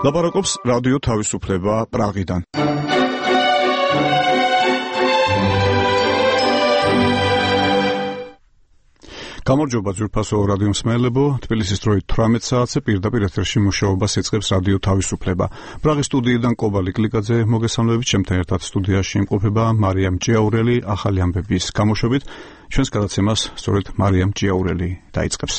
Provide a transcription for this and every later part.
ლაპარაკობს რადიო თავისუფლება პრაღიდან. გამარჯობა ძვირფასო რადიო მსმენელებო, თბილისის დროით 18 საათზე პირდაპირ ეთერში მუშაობას იწყებს რადიო თავისუფლება. პრაღის სტუდიიდან კობალი კლიკაძე მოგესალმებით, ჩემთან ერთად სტუდიაში იმყოფება მარიამ ჭიაურელი, ახალი ამბების გამოშვებით. ჩვენს გადაცემას სწორედ მარიამ ჭიაურელი დაიწყებს.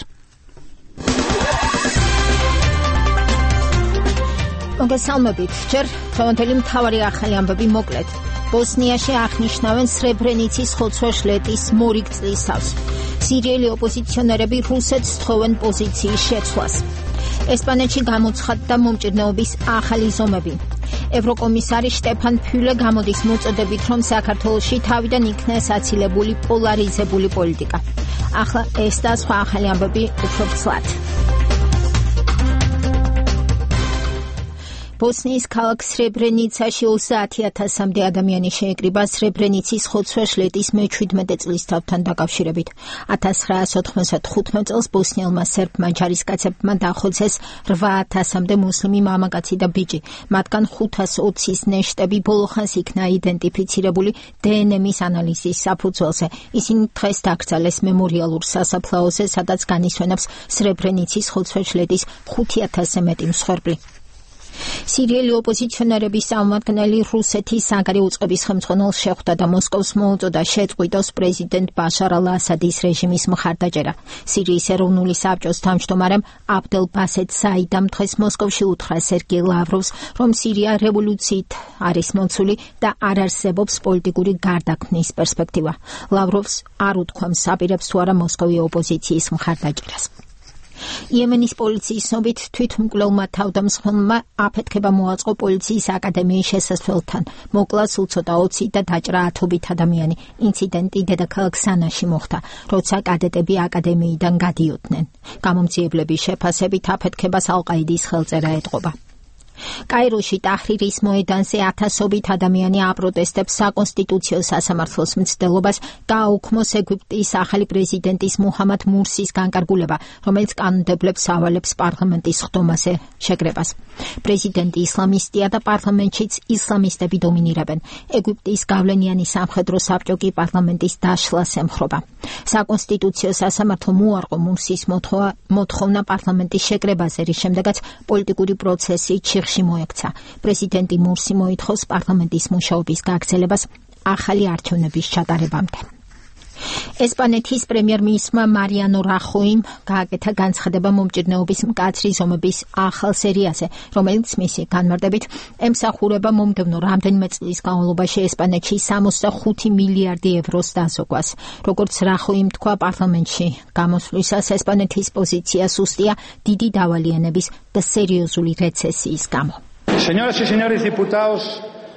მოგესალმებით, ჯერ დღევანდელი მთავარი ახალი ამბები მოკლედ. ბოსნიაში აღნიშნავენ სრებრენიცის ხოცვა-შლეტის მორიგ წლისავს. სირიელი ოპოზიციონერები რუსეთს თხოვენ პოზიციის შეცვლას. ესპანეთში გამოცხადდა მომჭირნეობის ახალი ზომები. ევროკომისარი შტეფან ფიულე გამოდის მოწოდებით, რომ საქართველოში თავიდან იქნეს აცილებული პოლარიზებული პოლიტიკა. ახლა ეს და სხვა ახალი ამბები უფრო ცლად. ბოსნიის ქალაქ სრებრენიცაში 30,000-მდე ადამიანი შეეკრიბა სრებრენიცის ხოცვა-შლეტის მე-17 წლისთავთან დაკავშირებით. 1995 წელს ბოსნიელმა სერბმა ჯარისკაცებმა დახოცეს 8,000-მდე მუსლიმი მამაკაცი და ბიჭი. მათგან 520-ის ნეშტები ბოლოხანს იქნა იდენტიფიცირებული დნმ-ის ანალიზის საფუძველზე. ისინი დღეს დაკრძალეს მემორიალურ სასაფლაოზე, სადაც განისვენებს სრებრენიცის ხოცვა-შლეტის 5,000-ზე მეტი მსხვერპლი. სირიელი ოპოზიციონერების წარმომადგენელი რუსეთის საგარეო უწყების ხელმძღვანელს შეხვდა და მოსკოვს მოუწოდა შეწყვიტოს პრეზიდენტ ბაშარ ალ-ასადის რეჟიმის მხარდაჭერა. სირიის ეროვნული საბჭოს თავმჯდომარემ აბდელ ბასეთ საიდამ დღეს მოსკოვში უთხრა სერგეი ლავროვს, რომ სირია რევოლუციით არის მოცული და არ არსებობს პოლიტიკური გარდაქმნის პერსპექტივა. ლავროვს არ უთქვამს აპირებს თუ არა მოსკოვი ოპოზიციის მხარდაჭერას. იემენის პოლიციის ცნობით თვითმკვლელმა თავდამსხმელმა აფეთქება მოაწყო პოლიციის აკადემიის შესასვლელთან. მოკლა სულ ცოტა 20 და დაჭრა 10-ობით ადამიანი. ინციდენტი დედაქალაქ სანაში მოხდა, როცა კადეტები აკადემიიდან გადიოდნენ. გამომძიებლების შეფასებით აფეთქებას ალ-ყაიდის ხელწერა ეტყობა. კაიროში ტაჰრირის მოედანზე 1000-ობით ადამიანი აპროტესტებს საკონსტიტუციო სასამართლოს მცდელობას გააუქმოს ეგვიპტის ახალი პრეზიდენტის მუჰამად მურსის განკარგულება, რომელიც კანონმდებლებს ავალებს პარლამენტის ხდომაზე შეკრებას. პრეზიდენტი ისლამისტია და პარლამენტშიც ისლამისტები დომინირებენ. ეგვიპტის გავლენიანი სამხედრო საბჭო კი პარლამენტის დაშლას ემხრობა. საკონსტიტუციო სასამართლომ უარყო მურსის მოთხოვნა პარლამენტის შეკრებაზე, რის შემდეგაც პოლიტიკური პროცესი მოექცა. პრეზიდენტი მურსი მოითხოვს პარლამენტის მუშაობის გაგრძელებას ახალი არჩევნების ჩატარებამდე. ესპანეთის პრემიერ-მინისტრმა მარიანო რახოიმ გააკეთა განცხადება მომჭირნეობის მკაცრი ზომების ახალ სერიაზე, რომელიც მისი განმარტებით ემსახურება მომდევნო რამდენიმე წლის განმავლობაში ესპანეთში 65 მილიარდი ევროს დაზოგვას. როგორც რახოიმ თქვა პარლამენტში გამოსვლისას, ესპანეთის პოზიცია სუსტია დიდი დავალიანების და სერიოზული რეცესიის გამო.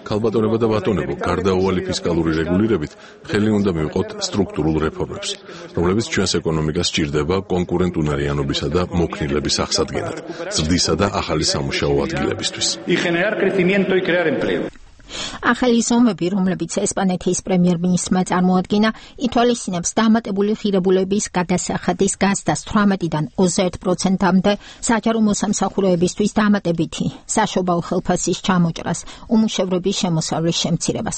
ქალბატონებო და ბატონებო, გარდაუვალი ფისკალური რეგულირებით ხელი უნდა მივყოთ სტრუქტურულ რეფორმებს, რომლებიც ჩვენს ეკონომიკას სჭირდება კონკურენტუნარიანობისა და მოქნილების აღსადგენად, ზრდისა და ახალი სამუშაო ადგილებისთვის. ახალი ზომები, რომლებიც ესპანეთის პრემიერ-მინისტრმა წარმოადგინა, ითვალისწინებს დამატებული ღირებულების გადასახადის გაზრდას 18-დან 21%-მდე, საჯარო მოსამსახურეებისთვის დამატებითი საშობაო ხელფასის ჩამოჭრას, უმუშევრობის შემოსავლის შემცირებას.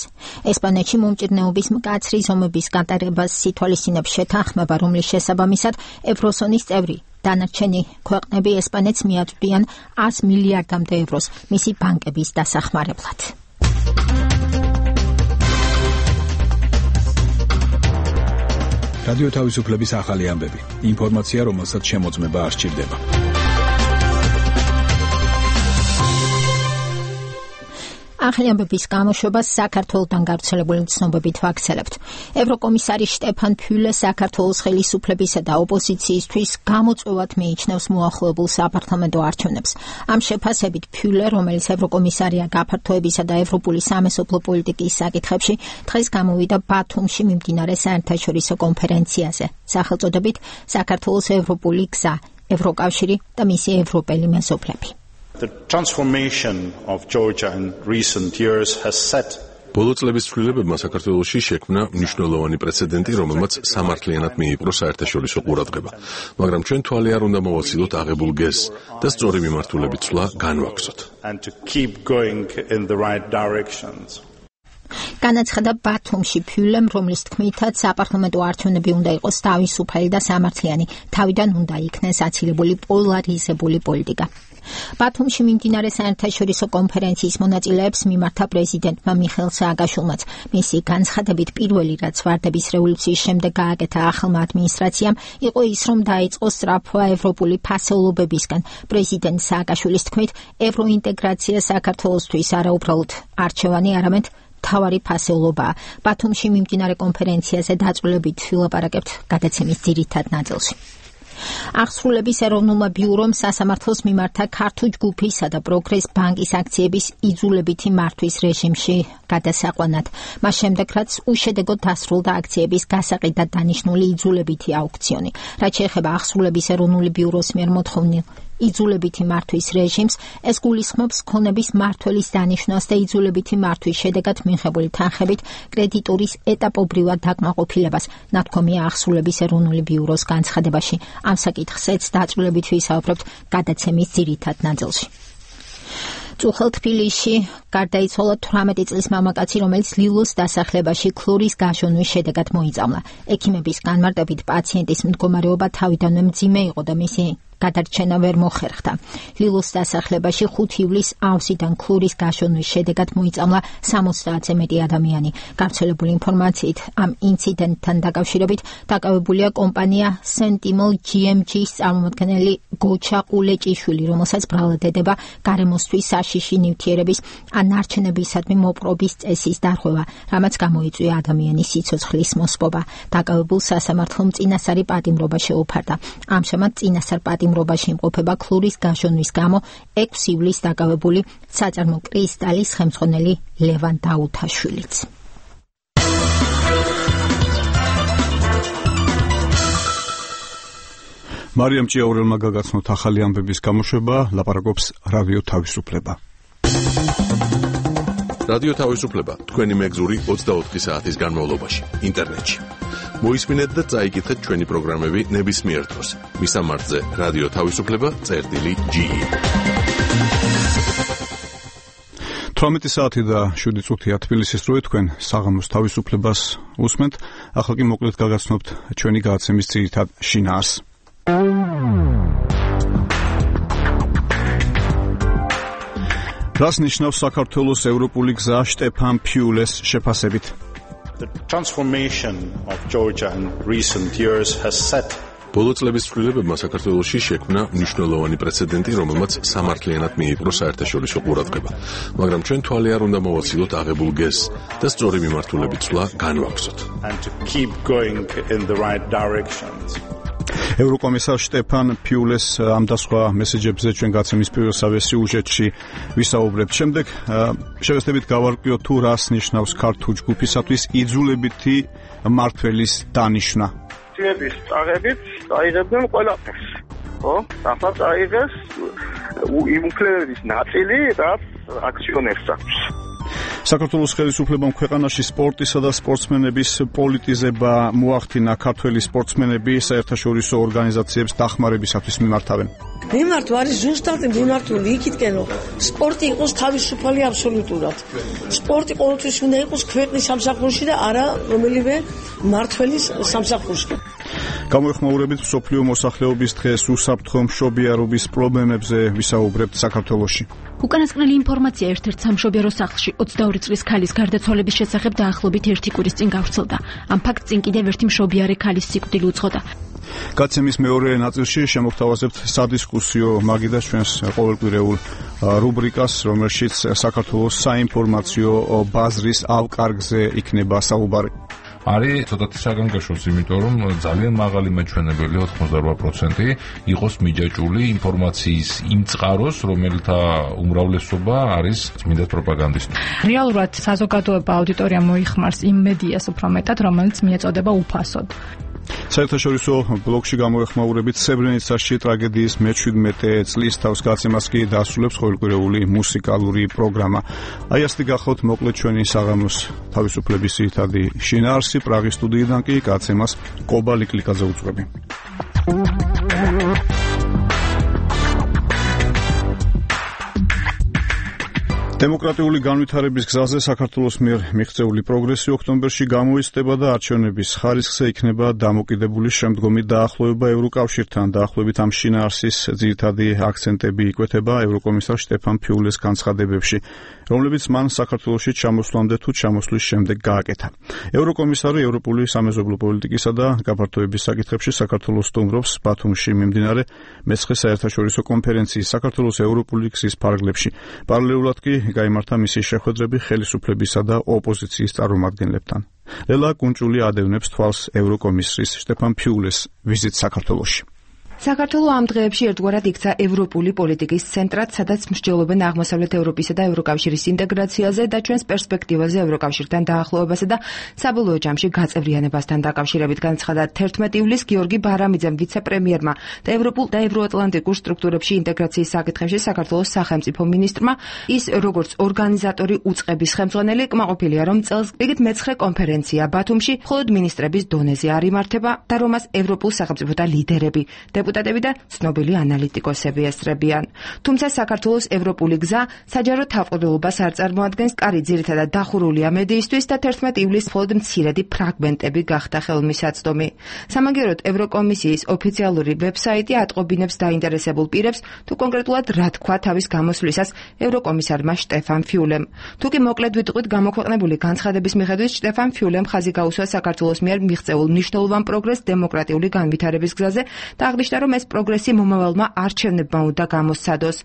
ესპანეთში მომჭირნეობის მკაცრი ზომების გატარებას ითვალისწინებს შეთანხმება, რომლის შესაბამისად ევროზონის წევრი დანარჩენი ქვეყნები ესპანეთს მიაწვდიან 100 მილიარდამდე ევროს მისი ბანკების დასახმარებლად. რადიო თავისუფლების ახალი ამბები. ინფორმაცია, რომელსაც შემოწმება არ სჭირდება. ახალი ამბების გამოშვებას საქართველოსთან გავრცელებული ცნობებით ვაქცელებთ. ევროკომისარი შტეფან ფიულე საქართველოს ხელისუფლებისა და ოპოზიციისთვის გამოწვევად მიიჩნევს მოახლოებულ საპარლამენტო არჩევნებს. ამ შეფასებით ფიულე, რომელიც ევროკომისარია გაფართოებისა და ევროპული სამეზობლო პოლიტიკის საკითხებში, დღეს გამოვიდა ბათუმში მიმდინარე საერთაშორისო კონფერენციაზე, სახელწოდებით საქართველოს ევროპული გზა, ევროკავშირი და მისი ევროპელი მეზობლები. The transformation of Georgia in recent years has set ბოლო წლების ცვლილებებმა საქართველოში შექმნა მნიშვნელოვანი პრეცედენტი, რომელმაც სამართლიანად მიიპყრო საერთაშორისო ყურადღება. მაგრამ ჩვენ თვალი არ უნდა მოვაცილოთ აღებულ გეზს და სწორი მიმართულებით ცვლა განვაქვსოთ. განაცხადა ბათუმში ფიულემ, რომლის თქმითაც საპარლამენტო არჩევნები უნდა იყოს თავისუფალი და სამართლიანი, თავიდან უნდა იქნეს აცილებული პოლარიზებული პოლიტიკა. ბათუმში მიმდინარე საერთაშორისო კონფერენციის მონაწილეებს მიმართა პრეზიდენტმა მიხეილ სააკაშვილმაც. მისი განცხადებით პირველი, რაც ვარდების რევოლუციის შემდეგ გააკეთა ახალმა ადმინისტრაციამ, იყო ის, რომ დაიწყო სწრაფვა ევროპული ფასეულობებისგან. პრეზიდენტ სააკაშვილის თქმით, ევროინტეგრაცია საქართველოსთვის არა უბრალოდ არჩევანი, არამედ თავარი ფასეულობაა. ბათუმში მიმდინარე კონფერენციაზე დაწვრილებით ვილაპარაკებთ გადაცემის ძირითად ნაწილში. აღსრულების ეროვნულმა ბიურომ სასამართლოს მიმართა ქართულ ჯგუფისა და პროგრეს ბანკის აქციების იძულებითი მართვის რეჟიმში გადასაყვანად. მას შემდეგ, რაც უშედეგოდ დასრულდა აქციების გასაყიდად დანიშნული იძულებითი აუქციონი. რაც შეეხება აღსრულების ეროვნული ბიუროს მიერ მოთხოვნილ იძულებითი მართვის რეჟიმს, ეს გულისხმობს ქონების მმართველის დანიშვნას და იძულებითი მართვის შედეგად მიღებული თანხებით კრედიტორის ეტაპობრივად დაკმაყოფილებას, ნათქვამია აღსრულების ეროვნული ბიუროს განცხადებაში. ამ საკითხზეც დაწვრილებით ვისაუბრებთ გადაცემის ძირითად ნაწილში. წუხელ თბილისში გარდაიცვალა 18 წლის მამაკაცი, რომელიც ლილოს დასახლებაში ქლორის გაშონვის შედეგად მოიწამლა. ექიმების განმარტებით პაციენტის მდგომარეობა თავიდანვე მძიმე იყო და მისი გადარჩენა ვერ მოხერხდა. ლილოს დასახლებაში 5 ივლისს ავზიდან ქლორის გაშონვის შედეგად მოიწამლა 70-ზე მეტი ადამიანი. გავრცელებული ინფორმაციით, ამ ინციდენტთან დაკავშირებით დაკავებულია კომპანია Sentinel GMG-ს წარმომადგენელი გოჩა ყულეჭიშვილი, რომელსაც ბრალად ედება გარემოსთვის საშიში ნივთიერების ან ნარჩენებისადმი მოპყრობის წესის დარღვევა, რამაც გამოიწვია ადამიანის სიცოცხლის მოსპობა. დაკავებულ სასამართლომ წინასწარი პატიმრობა შეუფარდა. ამჟამად წინასწარ პატიმრობაში იმყოფება ქლურის გაშონვის გამო 6 ივლისს დაკავებული საწარმო კრისტალის ხელმძღვანელი ლევან დაუთაშვილიც. მარიამ ჭიაურელმა გაგაცნოთ ახალი ამბების გამოშვება, ლაპარაკობს რადიო თავისუფლება. რადიო თავისუფლება თქვენი მეგზური 24 საათის განმავლობაში ინტერნეტში. მოისმინეთ და წაიკითხეთ ჩვენი პროგრამები ნებისმიერ დროს. მისამართზე რადიო თავისუფლება.ge 18 საათი და 7 წუთია თბილისის დროით, თქვენ საღამოს თავისუფლებას უსმენთ. ახლა კი მოკლედ გაგაცნობთ ჩვენი გადაცემის ძირითად შინაარს. რას ნიშნავს საქართველოს ევროპული გზა შტეფან ფიულეს შეფასებით? The transformation of Georgia in recent years has set ბოლო წლების ცვლილებებმა საქართველოში შექმნა მნიშვნელოვანი პრეცედენტი, რომელმაც სამართლიანად მიიპყრო საერთაშორისო ყურადღება. მაგრამ ჩვენ თვალი არ უნდა მოვაცილოთ აღებულ გეზს და სწორი მიმართულებით ცვლა განვაქვსოთ. and to keep going in the right directions. ევროკომისარ შტეფან ფიულეს ამ და სხვა მესეჯებზე ჩვენ გაცემის პირველ სიუჟეტში ვისაუბრებთ. შემდეგ შევეცდებით გავარკვიოთ თუ რას ნიშნავს ქართულ ჯგუფისათვის იძულებითი მმართველის დანიშვნა. ძიების წაღებით წაიღებდნენ ყველაფერს. ხო? ახლა წაიღეს იმ უფლებების ნაწილი, რაც აქციონერს აქვს. საქართველოს ხელისუფლებამ ქვეყანაში სპორტისა და სპორტსმენების პოლიტიზება მოახდინა. ქართველი სპორტსმენები საერთაშორისო ორგანიზაციებს დახმარებისათვის მიმართავენ. მიმართვა არის ზუსტად მიმართული იქითკენ, რომ სპორტი იყოს თავისუფალი აბსოლუტურად. სპორტი ყოველთვის უნდა იყოს ქვეყნის სამსახურში და არა რომელიმე მმართველის სამსახურში. გამოეხმაურებით მსოფლიო მოსახლეობის დღეს უსაფრთხო მშობიარობის პრობლემებზე ვისაუბრებთ საქართველოში. უკანასკნელი ინფორმაცია ერთ-ერთ სამშობიარო სახლში 22 წლის ქალის გარდაცვალების შესახებ დაახლოებით 1 კვირის წინ გავრცელდა. ამ ფაქტს წინ კიდევ ერთი მშობიარე ქალის სიკვდილი უძღოდა. გაცემის მეორე ნაწილში შემოგთავაზებთ სადისკუსიო მაგიდას ჩვენს ყოველკვირეულ რუბრიკას, რომელშიც საქართველოს საინფორმაციო ბაზრის ავკარგზე იქნება საუბარი. არის ცოტათი საგანგაშოს, იმიტომ რომ ძალიან მაღალი მაჩვენებელი 88% იყოს მიჯაჭული ინფორმაციის იმ წყაროს, რომელთა უმრავლესობა არის წმინდა პროპაგანდისტი. რეალურად საზოგადოება აუდიტორია მოიხმარს იმ მედიას უფრო მეტად, რომელიც მიეწოდება უფასოდ. საერთაშორისო ბლოგში გამოეხმაურებით სებრენიცაში ტრაგედიის მე-17 წლის თავს გაცემას კი დაასრულებს ყოველკვირეული მუსიკალური პროგრამა. აი ასეთი გახოთ მოკლედ ჩვენი საღამოს თავისუფლების ძირითადი შინაარსი. პრაღის სტუდიიდან კი გაცემას კობა ლიკლიკაძე უძღვები. დემოკრატიული განვითარების გზაზე საქართველოს მიერ მიღწეული პროგრესი ოქტომბერში გამოიცდება და არჩევნების ხარისხზე იქნება დამოკიდებული შემდგომი დაახლოება ევროკავშირთან. დაახლოებით ამ შინაარსის ძირითადი აქცენტები იკვეთება ევროკომისარ შტეფან ფიულეს განცხადებებში, რომლებიც მან საქართველოში ჩამოსვლამდე თუ ჩამოსვლის შემდეგ გააკეთა. ევროკომისარი ევროპული სამეზობლო პოლიტიკისა და გაფართოების საკითხებში საქართველოს სტუმრობს ბათუმში მიმდინარე მე-9 საერთაშორისო კონფერენციის საქართველოს ევროპული გზის ფარგლებში. პარალელურად კი გაიმართა მისი შეხვედრები ხელისუფლებისა და ოპოზიციის წარმომადგენლებთან. ლელა კუნჭული ადევნებს თვალს ევროკომისრის შტეფან ფიულეს ვიზიტს საქართველოში. საქართველო ამ დღეებში ერთგვარად იქცა ევროპული პოლიტიკის ცენტრად, სადაც მსჯელობენ აღმოსავლეთ ევროპისა და ევროკავშირის ინტეგრაციაზე და ჩვენს პერსპექტივაზე ევროკავშირთან დაახლოებასა და საბოლოო ჯამში გაწევრიანებასთან დაკავშირებით, განცხადა 11 ივლისს გიორგი ბარამიძემ, ვიცე-პრემიერმა და ევროპულ და ევროატლანტიკურ სტრუქტურებში ინტეგრაციის საკითხებში საქართველოს სახელმწიფო მინისტრმა. ის როგორც ორგანიზატორი უწყების ხელმძღვანელი კმაყოფილია, რომ წელს რიგით მე-9 კონფერენცია ბათუმში მხოლოდ მინისტრების დონეზე არ იმართება და რომ მას ევროპულ სახელმწიფოთა ლიდერები, დეპუტატები და ცნობილი ანალიტიკოსები ესწრებიან. თუმცა საქართველოს ევროპული გზა საჯარო თავყრილობას არ წარმოადგენს, კარი ძირითადად დახურულია მედიისთვის და 11 ივლისს მხოლოდ მცირედი ფრაგმენტები გახდა ხელმისაწვდომი. სამაგიეროდ ევროკომისიის ოფიციალური ვებსაიტი ატყობინებს დაინტერესებულ პირებს, თუ კონკრეტულად რა თქვა თავის გამოსვლისას ევროკომისარმა შტეფან ფიულემ. თუკი მოკლედ ვიტყვით, გამოქვეყნებული განცხადების მიხედვით შტეფან ფიულემ ხაზი გაუსვა საქართველოს მიერ მიღწეულ მნიშვნელოვან პროგრესს დემოკრატიული განვითარების გზაზე და აღნიშნა, რომ ეს პროგრესი მომავალმა არჩევნებმა უნდა გამოსცადოს.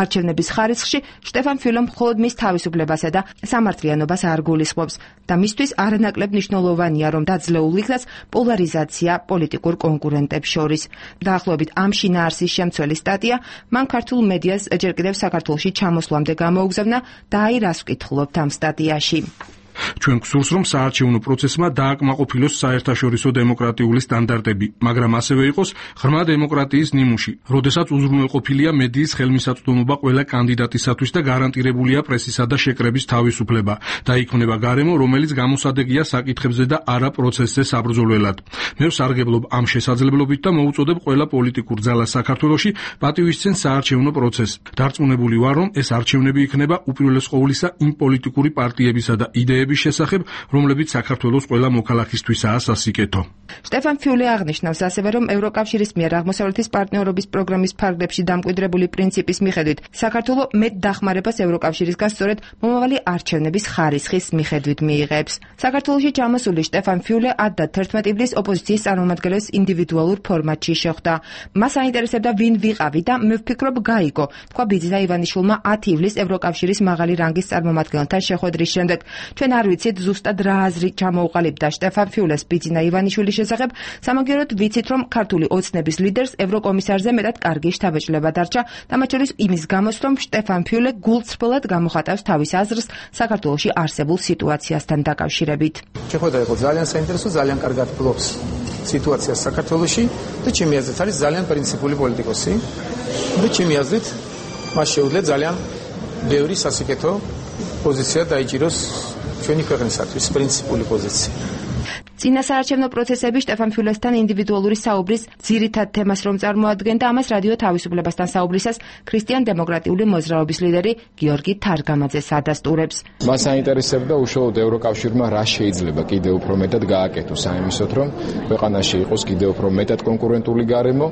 არჩევნების ხარისხში შტეფან ფიულემ მხოლოდ მის თავისუფლებასა და სამართლიანობას არ გულისხმობს და მისთვის არანაკლებ მნიშვნელოვანია, რომ დაძლეულ იქნას პოლარიზაცია პოლიტიკურ კონკურენტებს შორის. დაახლოებით ამ შინაარსის შემცველი სტატია მან ქართულ მედიას ჯერ კიდევ საქართველოში ჩამოსვლამდე გამოუგზავნა და აი რას ვკითხულობთ ამ სტატიაში. ჩვენ გვსურს, რომ საარჩევნო პროცესმა დააკმაყოფილოს საერთაშორისო დემოკრატიული სტანდარტები, მაგრამ ასევე იყოს ღრმა დემოკრატიის ნიმუში, როდესაც უზრუნველყოფილია მედიის ხელმისაწვდომობა ყველა კანდიდატისათვის და გარანტირებულია პრესისა და შეკრების თავისუფლება და იქმნება გარემო, რომელიც გამოსადეგია საკითხებზე და არა პროცესზე საბრძოლველად. მე ვსარგებლობ ამ შესაძლებლობით და მოუწოდებ ყველა პოლიტიკურ ძალას საქართველოში პატივისცენ საარჩევნო პროცესს. დარწმუნებული ვარ, რომ ეს არჩევნები იქნება უპირველეს ყოვლისა იმ პოლიტიკური პარტიებისა და იდეების შესახებ, რომლებიც საქართველოს ყველა მოქალაქისთვისაა სასიკეთო. შტეფან ფიულე აღნიშნავს ასევე, რომ ევროკავშირის მიერ აღმოსავლეთის პარტნიორობის პროგრამის ფარგლებში დამკვიდრებული პრინციპის მიხედვით საქართველო მეტ დახმარებას ევროკავშირისგან სწორედ მომავალი არჩევნების ხარისხის მიხედვით მიიღებს. საქართველოში ჩამოსული შტეფან ფიულე 10 და 11 ივლისს ოპოზიციის წარმომადგენლებს ინდივიდუალურ ფორმატში შეხვდა. მას აინტერესებდა ვინ ვიყავი და მე ვფიქრობ გაიგო, თქვა ბიძინა ივანიშვილმა 10 ივლისს ევროკავშირის მაღალი რანგის წარმომადგენელთან შეხვედრის შემდეგ. ჩვენ არ ვიცით ზუსტად რა აზრი ჩამოუყალიბდა შტეფან ფიულეს ბიძინა ივანიშვილის შესახებ, სამაგიეროდ ვიცით, რომ ქართული ოცნების ლიდერს ევროკომისარზე მეტად კარგი შთაბეჭდილება დარჩა და მათ შორის იმის გამოს, რომ შტეფან ფიულე გულწრფელად გამოხატავს თავის აზრს საქართველოში არსებულ სიტუაციასთან დაკავშირებით. შეხვედრა იყო ძალიან საინტერესო, ძალიან კარგად ფლობს სიტუაციას საქართველოში და ჩემი აზრით არის ძალიან პრინციპული პოლიტიკოსი და ჩემი აზრით მას შეუძლია ძალიან ბევრი სასიკეთო პოზიცია დაიჭიროს ჩვენი ქვეყნისათვის, პრინციპული პოზიცია. წინა საარჩევნო პროცესები შტეფან ფიულესთან ინდივიდუალური საუბრის ძირითად თემას რომ წარმოადგენდა, ამას რადიო თავისუფლებასთან საუბრისას ქრისტიან-დემოკრატიული მოძრაობის ლიდერი გიორგი თარგამაძეს ადასტურებს. მას აინტერესებდა უშუალოდ ევროკავშირმა რა შეიძლება კიდევ უფრო მეტად გააკეთოს ამისოთ, რომ ქვეყანაში იყოს კიდევ უფრო მეტად კონკურენტული გარემო,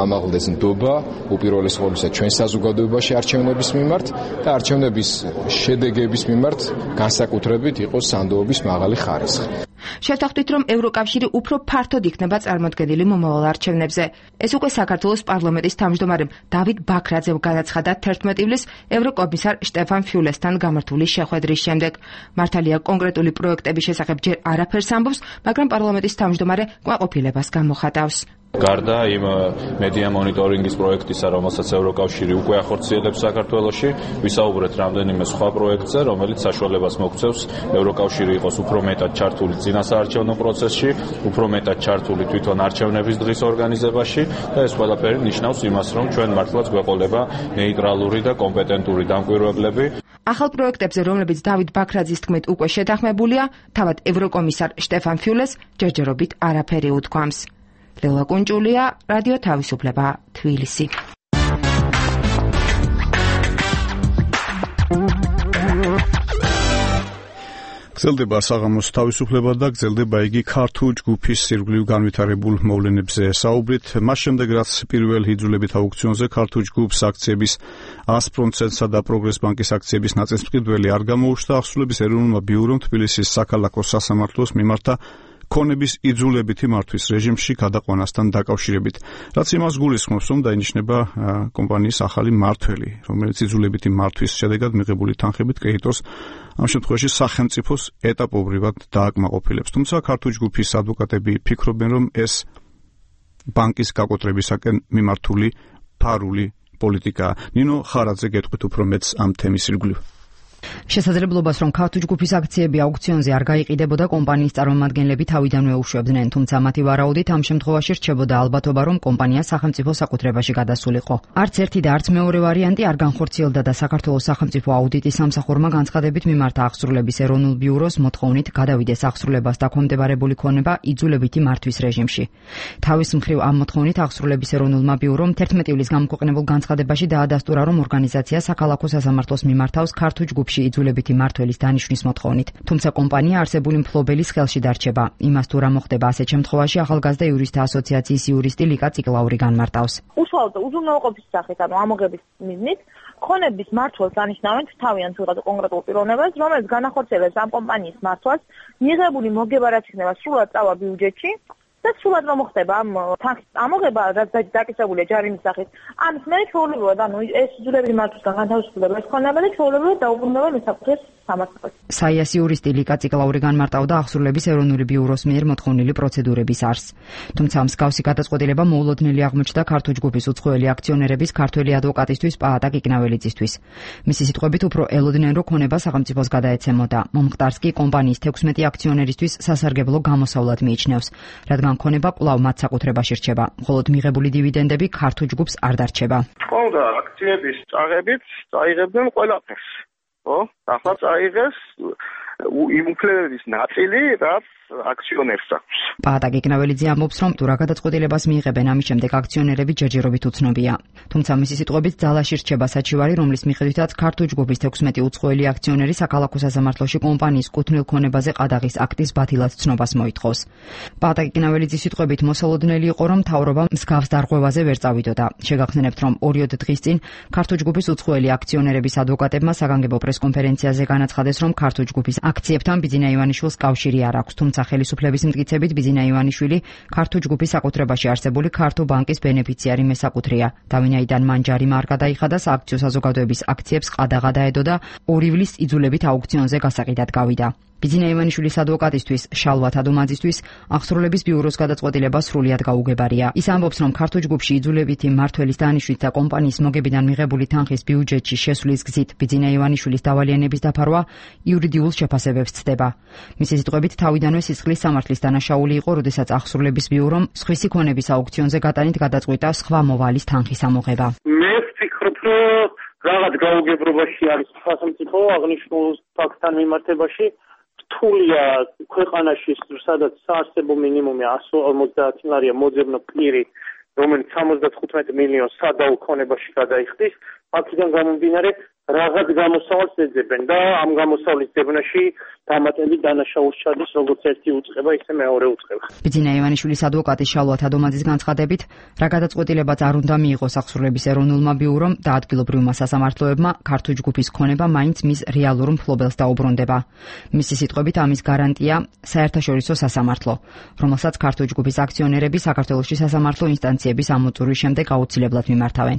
ამაღლდეს ნდობა უპირველეს ყოვლისა ჩვენ საზოგადოებაში არჩევნების მიმართ და არჩევნების შედეგების მიმართ განსაკუთრებით იყოს სანდოობის მაღალი ხარისხი. შევთანხმდით, რომ ევროკავშირი უფრო ფართოდ იქნება წარმოდგენილი მომავალ არჩევნებზე. ეს უკვე საქართველოს პარლამენტის თავმჯდომარემ დავით ბაქრაძემ განაცხადა 11 ივლისს ევროკომისარ შტეფან ფიულესთან გამართული შეხვედრის შემდეგ. მართალია კონკრეტული პროექტების შესახებ ჯერ არაფერს ამბობს, მაგრამ პარლამენტის თავმჯდომარე კმაყოფილებას გამოხატავს. გარდა იმ მედია მონიტორინგის პროექტისა, რომელსაც ევროკავშირი უკვე ახორციელებს საქართველოში, ვისაუბრეთ რამდენიმე სხვა პროექტზე, რომელიც საშუალებას მოგცევს ევროკავშირი იყოს უფრო მეტად ჩართული წინასაარჩევნო პროცესში, უფრო მეტად ჩართული თვითონ არჩევნების დღის ორგანიზებაში და ეს ყველაფერი ნიშნავს იმას, რომ ჩვენ მართლაც გვეყოლება ნეიტრალური და კომპეტენტური დამკვირვებლები. ახალ პროექტებზე, რომლებიც დავით ბაქრაძის თქმით უკვე შეთანხმებულია, თავად ევროკომისარ შტეფან ფიულეს ჯერჯერობით არაფერი უთქვამს. ლელა კუნჭულია, რადიო თავისუფლება, თბილისი. გრძელდება საღამოს თავისუფლება და გრძელდება იგი ქართულ ჯგუფის სირგვლივ განვითარებულ მოვლენებზე საუბრით. მას შემდეგ, რაც პირველ იძულებით აუქციონზე ქართულ ჯგუფს აქციების 100%-სა და პროგრეს ბანკის აქციების ნაწილმფრიდველი არ გამოუჩნდა, ახსულების ეროვნულმა ბიურომ თბილისის საქალაქო სასამართლოს მიმართა ქონების იძულებითი მართვის რეჟიმში გადაყვანასთან დაკავშირებით. რაც იმას გულისხმობს, რომ დაინიშნება კომპანიის ახალი მმართველი, რომელიც იძულებითი მართვის შედეგად მიღებული თანხებით კრედიტორს ამ შემთხვევაში სახელმწიფოს ეტაპობრივად დააკმაყოფილებს. თუმცა ქართული ჯგუფის ადვოკატები ფიქრობენ, რომ ეს ბანკის გაკოტრებისაკენ მიმართული ფარული პოლიტიკაა. ნინო ხარაძე გეტყვით უფრო მეტს ამ თემის ირგვლივ. შესაძლებლობას, რომ ქართული ჯგუფის აქციები აუქციონზე არ გაიყიდებოდა, კომპანიის წარმომადგენლები თავიდანვე უშვებდნენ, თუმცა მათი ვარაუდით ამ შემთხვევაში რჩებოდა ალბათობა, რომ კომპანია სახელმწიფო საკუთრებაში გადასულიყო. არც ერთი და არც მეორე ვარიანტი არ განხორციელდა და საქართველოს სახელმწიფო აუდიტის სამსახურმა განცხადებით მიმართა აღსრულების ეროვნულ ბიუროს მოთხოვნით გადავიდეს აღსრულებას დაქვემდებარებული ქონება იძულებითი მართვის რეჟიმში. თავის მხრივ ამ მოთხოვნით აღსრულების ეროვნულმა ბიურომ 11 ივლისს გამოქვეყნებულ განცხადებაში დაადასტურა, რომ ორგანიზაცია საქალაქო სასამართლოს მიმართავს ქართულ ჯგუფში იძულებითი მმართველის დანიშვნის მოთხოვნით. თუმცა კომპანია არსებული მფლობელის ხელში დარჩება. იმას თუ რა მოხდება ასეთ შემთხვევაში, ახალგაზრდა იურისტთა ასოციაციის იურისტი ლიკა წიკლაური განმარტავს. უშუალოდ უზრუნველყოფის სახით, ანუ ამოღების მიზნით, ქონების მმართველს ანიშნავენ თავიანთ ვიღაცა კონკრეტულ პიროვნებას, რომელიც განახორციელებს ამ კომპანიის მმართველს, მიღებული მოგება რაც იქნება სრულად წავა ბიუჯეტში და სრულად რომ მოხდება ამ თანხის ამოღება, რაც დაკისრებულია ჯარიმის სახით. ამის მერე ჩვეულებრივად, ანუ ეს იძულებითი მმართველისგან განთავისუფლდება ეს ქონება და ჩვეულებრივად დაუბრუნდება მესაკუთრეს სამართალს. საიას იურისტი ლიკა წიკლაური განმარტავდა აღსრულების ეროვნული ბიუროს მიერ მოთხოვნილი პროცედურების არსს. თუმცა მსგავსი გადაწყვეტილება მოულოდნელი აღმოჩნდა ქართულ ჯგუფის უცხოელი აქციონერების ქართველი ადვოკატისთვის პაატა კიკნაველიძისთვის. მისი სიტყვებით უფრო ელოდნენ, რომ ქონება სახელმწიფოს გადაეცემოდა. მომხდარს კი კომპანიის 16 აქციონერისთვის სასარგებლო გამოსავლად მიიჩნევს, რადგან ქონება კვლავ მათ საკუთრებაში რჩება, მხოლოდ მიღებული დივიდენდები ქართულ ჯგუფს არ დარჩება. ყოლდა აქციების წაღებით წაიღებდნენ ყველაფერს. ხო? ახლა წაიღეს იმ უფლებების ნაწილი, რაც აქციონერს აქვს. პაატა კიკნაველიძე ამბობს, რომ თუ რა გადაწყვეტილებას მიიღებენ, ამის შემდეგ აქციონერები ჯერჯერობით უცნობია. თუმცა მისი სიტყვებით ძალაში რჩება საჩივარი, რომლის მიხედვითაც ქართულ ჯგუფის 16 უცხოელი აქციონერი საქალაქო სასამართლოში კომპანიის კუთვნილ ქონებაზე ყადაღის აქტის ბათილად ცნობას მოითხოვს. პაატა კიკნაველიძის სიტყვებით მოსალოდნელი იყო, რომ მთავრობა მსგავს დარღვევაზე ვერ წავიდოდა. შეგახსენებთ, რომ 2 დღის წინ ქართულ ჯგუფის უცხოელი აქციონერების ადვოკატებმა საგანგებო პრესკონფერენციაზე განაცხადეს, რომ ქართულ ჯგუფის აქციებთან ბიძინა ივანიშვილს კავშირი არ აქვს, თუმცა ხელისუფლების მტკიცებით ბიძინა ივანიშვილი ქართულ ჯგუფის საკუთრებაში არსებული ქართულ ბანკის ბენეფიციარი მესაკუთრეა. დავინაიდან მან ჯარიმა არ გადაიხადა, სააქციო საზოგადოების აქციებს ყადაღა დაედო და 2 ივლისს იძულებით აუქციონზე გასაყიდად გავიდა. ბიძინა ივანიშვილის ადვოკატისთვის შალვა თადუმაძისთვის აღსრულების ბიუროს გადაწყვეტილება სრულიად გაუგებარია. ის ამბობს, რომ ქართულ ჯგუფში იძულებითი მმართველის დანიშვნით და კომპანიის მოგებიდან მიღებული თანხის ბიუჯეტში შესვლის გზით ბიძინა ივანიშვილის დავალიანების დაფარვა იურიდიულ შეფასებებს ცდება. მისი სიტყვებით, თავიდანვე სისხლის სამართლის დანაშაული იყო, როდესაც აღსრულების ბიურომ სხვისი ქონების აუქციონზე გატანით გადაწყვიტა სხვა მოვალის თანხის ამოღება. მე ვფიქრობ, რომ რაღაც გაუგებრობაში არის სახელმწიფო აღნიშნულ ფაქტთან მიმართებაში. რთულია ქვეყანაში, სადაც საარსებო მინიმუმი 150 ლარია მოძებნო პირი, რომელიც 75 მილიონს სადაო ქონებაში გადაიხდის, აქედან გამომდინარე რაღაც გამოსავალს ეძებენ და ამ გამოსავლის ძებნაში დამატებით დანაშაულს ჩადის როგორც ერთი უწყება, ისე მეორე უწყება. ბიძინა ივანიშვილის ადვოკატი შალვა თადუმაძის განცხადებით, რა გადაწყვეტილებაც არ უნდა მიიღოს აღსრულების ეროვნულმა ბიურომ და ადგილობრივმა სასამართლოებმა, ქართულ ჯგუფის ქონება მაინც მის რეალურ მფლობელს დაუბრუნდება. მისი სიტყვებით, ამის გარანტია საერთაშორისო სასამართლო, რომელსაც ქართულ ჯგუფის აქციონერები საქართველოში სასამართლო ინსტანციების ამოწურვის შემდეგ აუცილებლად მიმართავენ.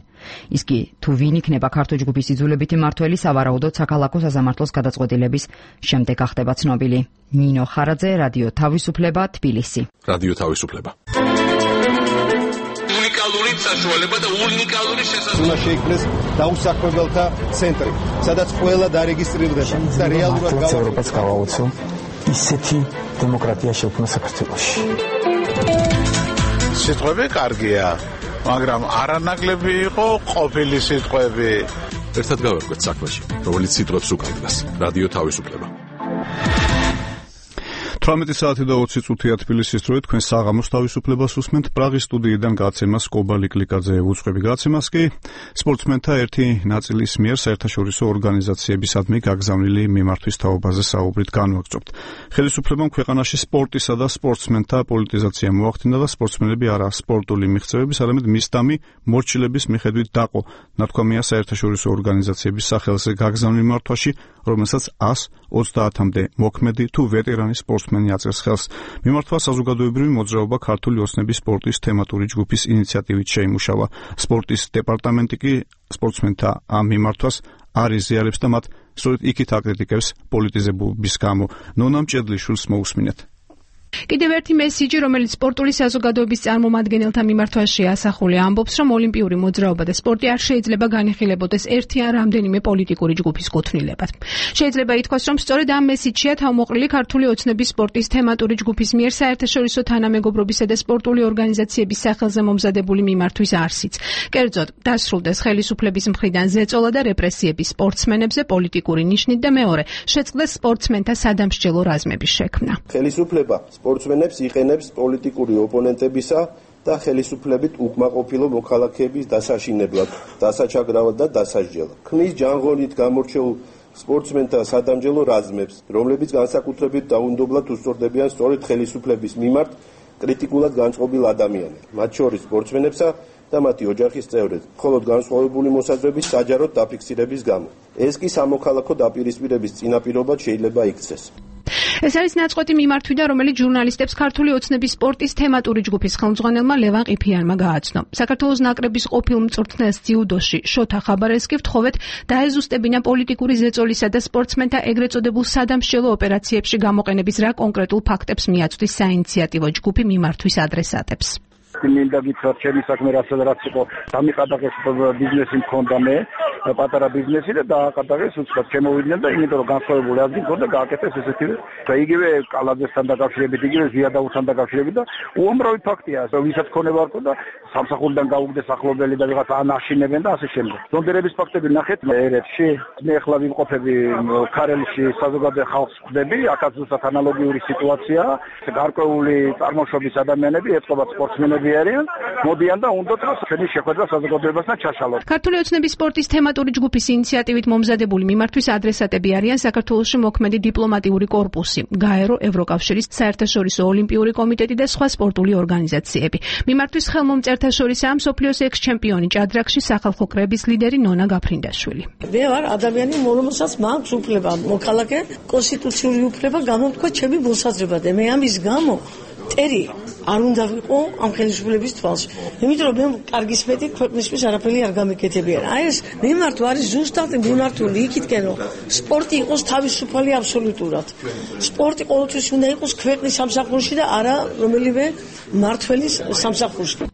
ის კი თუ ვინ იქნება ქართულ ჯგუფის იძულებითი მმართველი, სავარაუდოდ საქალაქო სასამართლოს გადაწყვეტილების შემდეგ ახდება ცნობილი. ნინო ხარაძე, რადიო თავისუფლება, თბილისი. რადიო თავისუფლება. უნიკალური საშუალება და უნიკალური შესაძლებლობა. უნდა შეიქმნეს დაუსაქმებელთა ცენტრი, სადაც ყველა დარეგისტრირდება და რეალურად ევროპას გავაუწევ ისეთი დემოკრატია შექმნა საქართველოში. სიტყვები კარგია, მაგრამ არანაკლები იყო ყოფილი სიტყვები. ერთად გავერკვეთ საქმეში, რომელიც სიტყვებს უკავშირდება. რადიო თავისუფლება. 18 საათი და 20 წუთია თბილისის დროით თქვენ საღამოს თავისუფლებას უსმენთ. პრაღის სტუდიიდან გაცემას კობალი კლიკაძე უწყები. გაცემას კი სპორტსმენთა ერთი ნაწილის მიერ საერთაშორისო ორგანიზაციებისადმი გაგზავნილი მიმართვის თაობაზე საუბრით განვაგრძობთ. ხელისუფლებამ ქვეყანაში სპორტისა და სპორტსმენთა პოლიტიზაცია მოახდინა და სპორტსმენები არა სპორტული მიღწევების, არამედ მისდამი მორჩილების მიხედვით დაყო. ნათქვამია საერთაშორისო ორგანიზაციების სახელზე გაგზავნილ მიმართვაში, რომელსაც 130-მდე მოქმედი თუ ვეტერანი სპორტსმენი აწერს ხელს. მიმართვა საზოგადოებრივი მოძრაობა ქართული ოცნების სპორტის თემატური ჯგუფის ინიციატივით შეიმუშავა. სპორტის დეპარტამენტი კი სპორტსმენთა ამ მიმართვას არ იზიარებს და მათ სწორედ იქით აკრიტიკებს პოლიტიზებობის გამო. ნონა მჭედლიშვილს მოусმინეთ. კიდევ ერთი მესიჯი, რომელიც სპორტული საზოგადოების წარმომადგენელთა მიმართვაში ასახულია, ამბობს, რომ ოლიმპიური მოძრაობა და სპორტი არ შეიძლება განიხილებოდეს ერთი ან რამდენიმე პოლიტიკური ჯგუფის კუთვნილებად. შეიძლება ითქვას, რომ სწორედ ამ მესიჯია თავმოყრილი ქართული ოცნების სპორტის თემატური ჯგუფის მიერ საერთაშორისო თანამეგობრობისა და სპორტული ორგანიზაციების სახელზე მომზადებული მიმართვის არსიც. კერძოდ, დასრულდეს ხელისუფლების მხრიდან ზეწოლა და რეპრესიები სპორტსმენებზე პოლიტიკური ნიშნით და მეორე, შეწყდეს სპორტსმენთა სადამსჯელო რაზმების შექმნა. ხელისუფლება სპორტსმენებს იყენებს პოლიტიკური ოპონენტებისა და ხელისუფლებით უკმაყოფილო მოქალაქეების დასაშინებლად, დასაჩაგრავად და დასასჯელად. ქმნის ჯანღონით გამორჩეულ სპორტსმენთა სადამსჯელო რაზმებს, რომლებიც განსაკუთრებით დაუნდობლად უსწორდებიან სწორედ ხელისუფლების მიმართ კრიტიკულად განწყობილ ადამიანებს, მათ შორის სპორტსმენებსა და მათი ოჯახის წევრებს, მხოლოდ განსხვავებული მოსაზრების საჯაროდ დაფიქსირების გამო. ეს კი სამოქალაქო დაპირისპირების წინაპირობად შეიძლება იქცეს. ეს არის ნაწყვეტი მიმართვიდან, რომელიც ჟურნალისტებს ქართული ოცნების სპორტის თემატური ჯგუფის ხელმძღვანელმა ლევან ყიფიანმა გააცნო. საქართველოს ნაკრების ყოფილ მწვრთნელს ძიუდოში შოთა ხაბარელსკი ვთხოვეთ დაეზუსტებინა პოლიტიკური ზეწოლისა და სპორტსმენთა ეგრეთ წოდებულ სადამსჯელო ოპერაციებში გამოყენების რა კონკრეტულ ფაქტებს მიაწვდის საინიციატივო ჯგუფი მიმართვის ადრესატებს. მინდა გითხრათ, ჩემი საქმე რაც იყო, დამიყადაღეს ბიზნესი მქონდა მე, პატარა ბიზნესი და დააკადაღეს უცხოდ შემოვიდნენ და იმიტომ რომ განსხვავებული აზრი მქონდა, გააკეთეს ესეთივე და იგივე კალაძესთან დაკავშირებით, იგივე ზიადაუსთან დაკავშირებით და უამრავი ფაქტია, ვისაც ქონება არ ქონდა, სამსახურიდან გაუგდეს ახლობელი და ვიღაცა ანაშინებენ და ასე შემდეგ. ზონდერების ფაქტები ნახეთ ერეთში, მე ახლა ვიმყოფები ქარელში საზოგადო ხალხს ხვდები, აქაც ზუსტად ანალოგიური სიტუაციაა, გარკვეული წარმოშობის ადამიანები ეწყობათ სპორტსმენები არიან, მოდიან და უნდათ რომ ჩვენი შეხვედრა საზოგადოებასთან ჩაშალოს. ქართული ოცნების სპორტის თემატური ჯგუფის ინიციატივით მომზადებული მიმართვის ადრესატები არიან საქართველოში მოქმედი დიპლომატიური კორპუსი, გაერო, ევროკავშირის საერთაშორისო ოლიმპიური კომიტეტი და სხვა სპორტული ორგანიზაციები. მიმართვის ხელმომწერთა შორისაა მსოფლიოს ექს-ჩემპიონი ჭადრაკში სახალხო კრების ლიდერი ნონა გაფრინდაშვილი. მე ვარ ადამიანი, რომელსაც მაქვს უფლება, მოქალაქე, კონსტიტუციური უფლება გამომთქვა ჩემი მოსაზრება და მე ამის გამო ტერი არ უნდა ვიყო ამ ხელისუფლების თვალში. იმიტომ რომ მე კარგის მეტი ქვეყნისთვის არაფერი არ გამეკეთებიან. აი ეს მიმართვა არის ზუსტად მიმართული იქითკენ რომ სპორტი იყოს თავისუფალი აბსოლუტურად. სპორტი ყოველთვის უნდა იყოს ქვეყნის სამსახურში და არა რომელიმე მმართველის სამსახურში.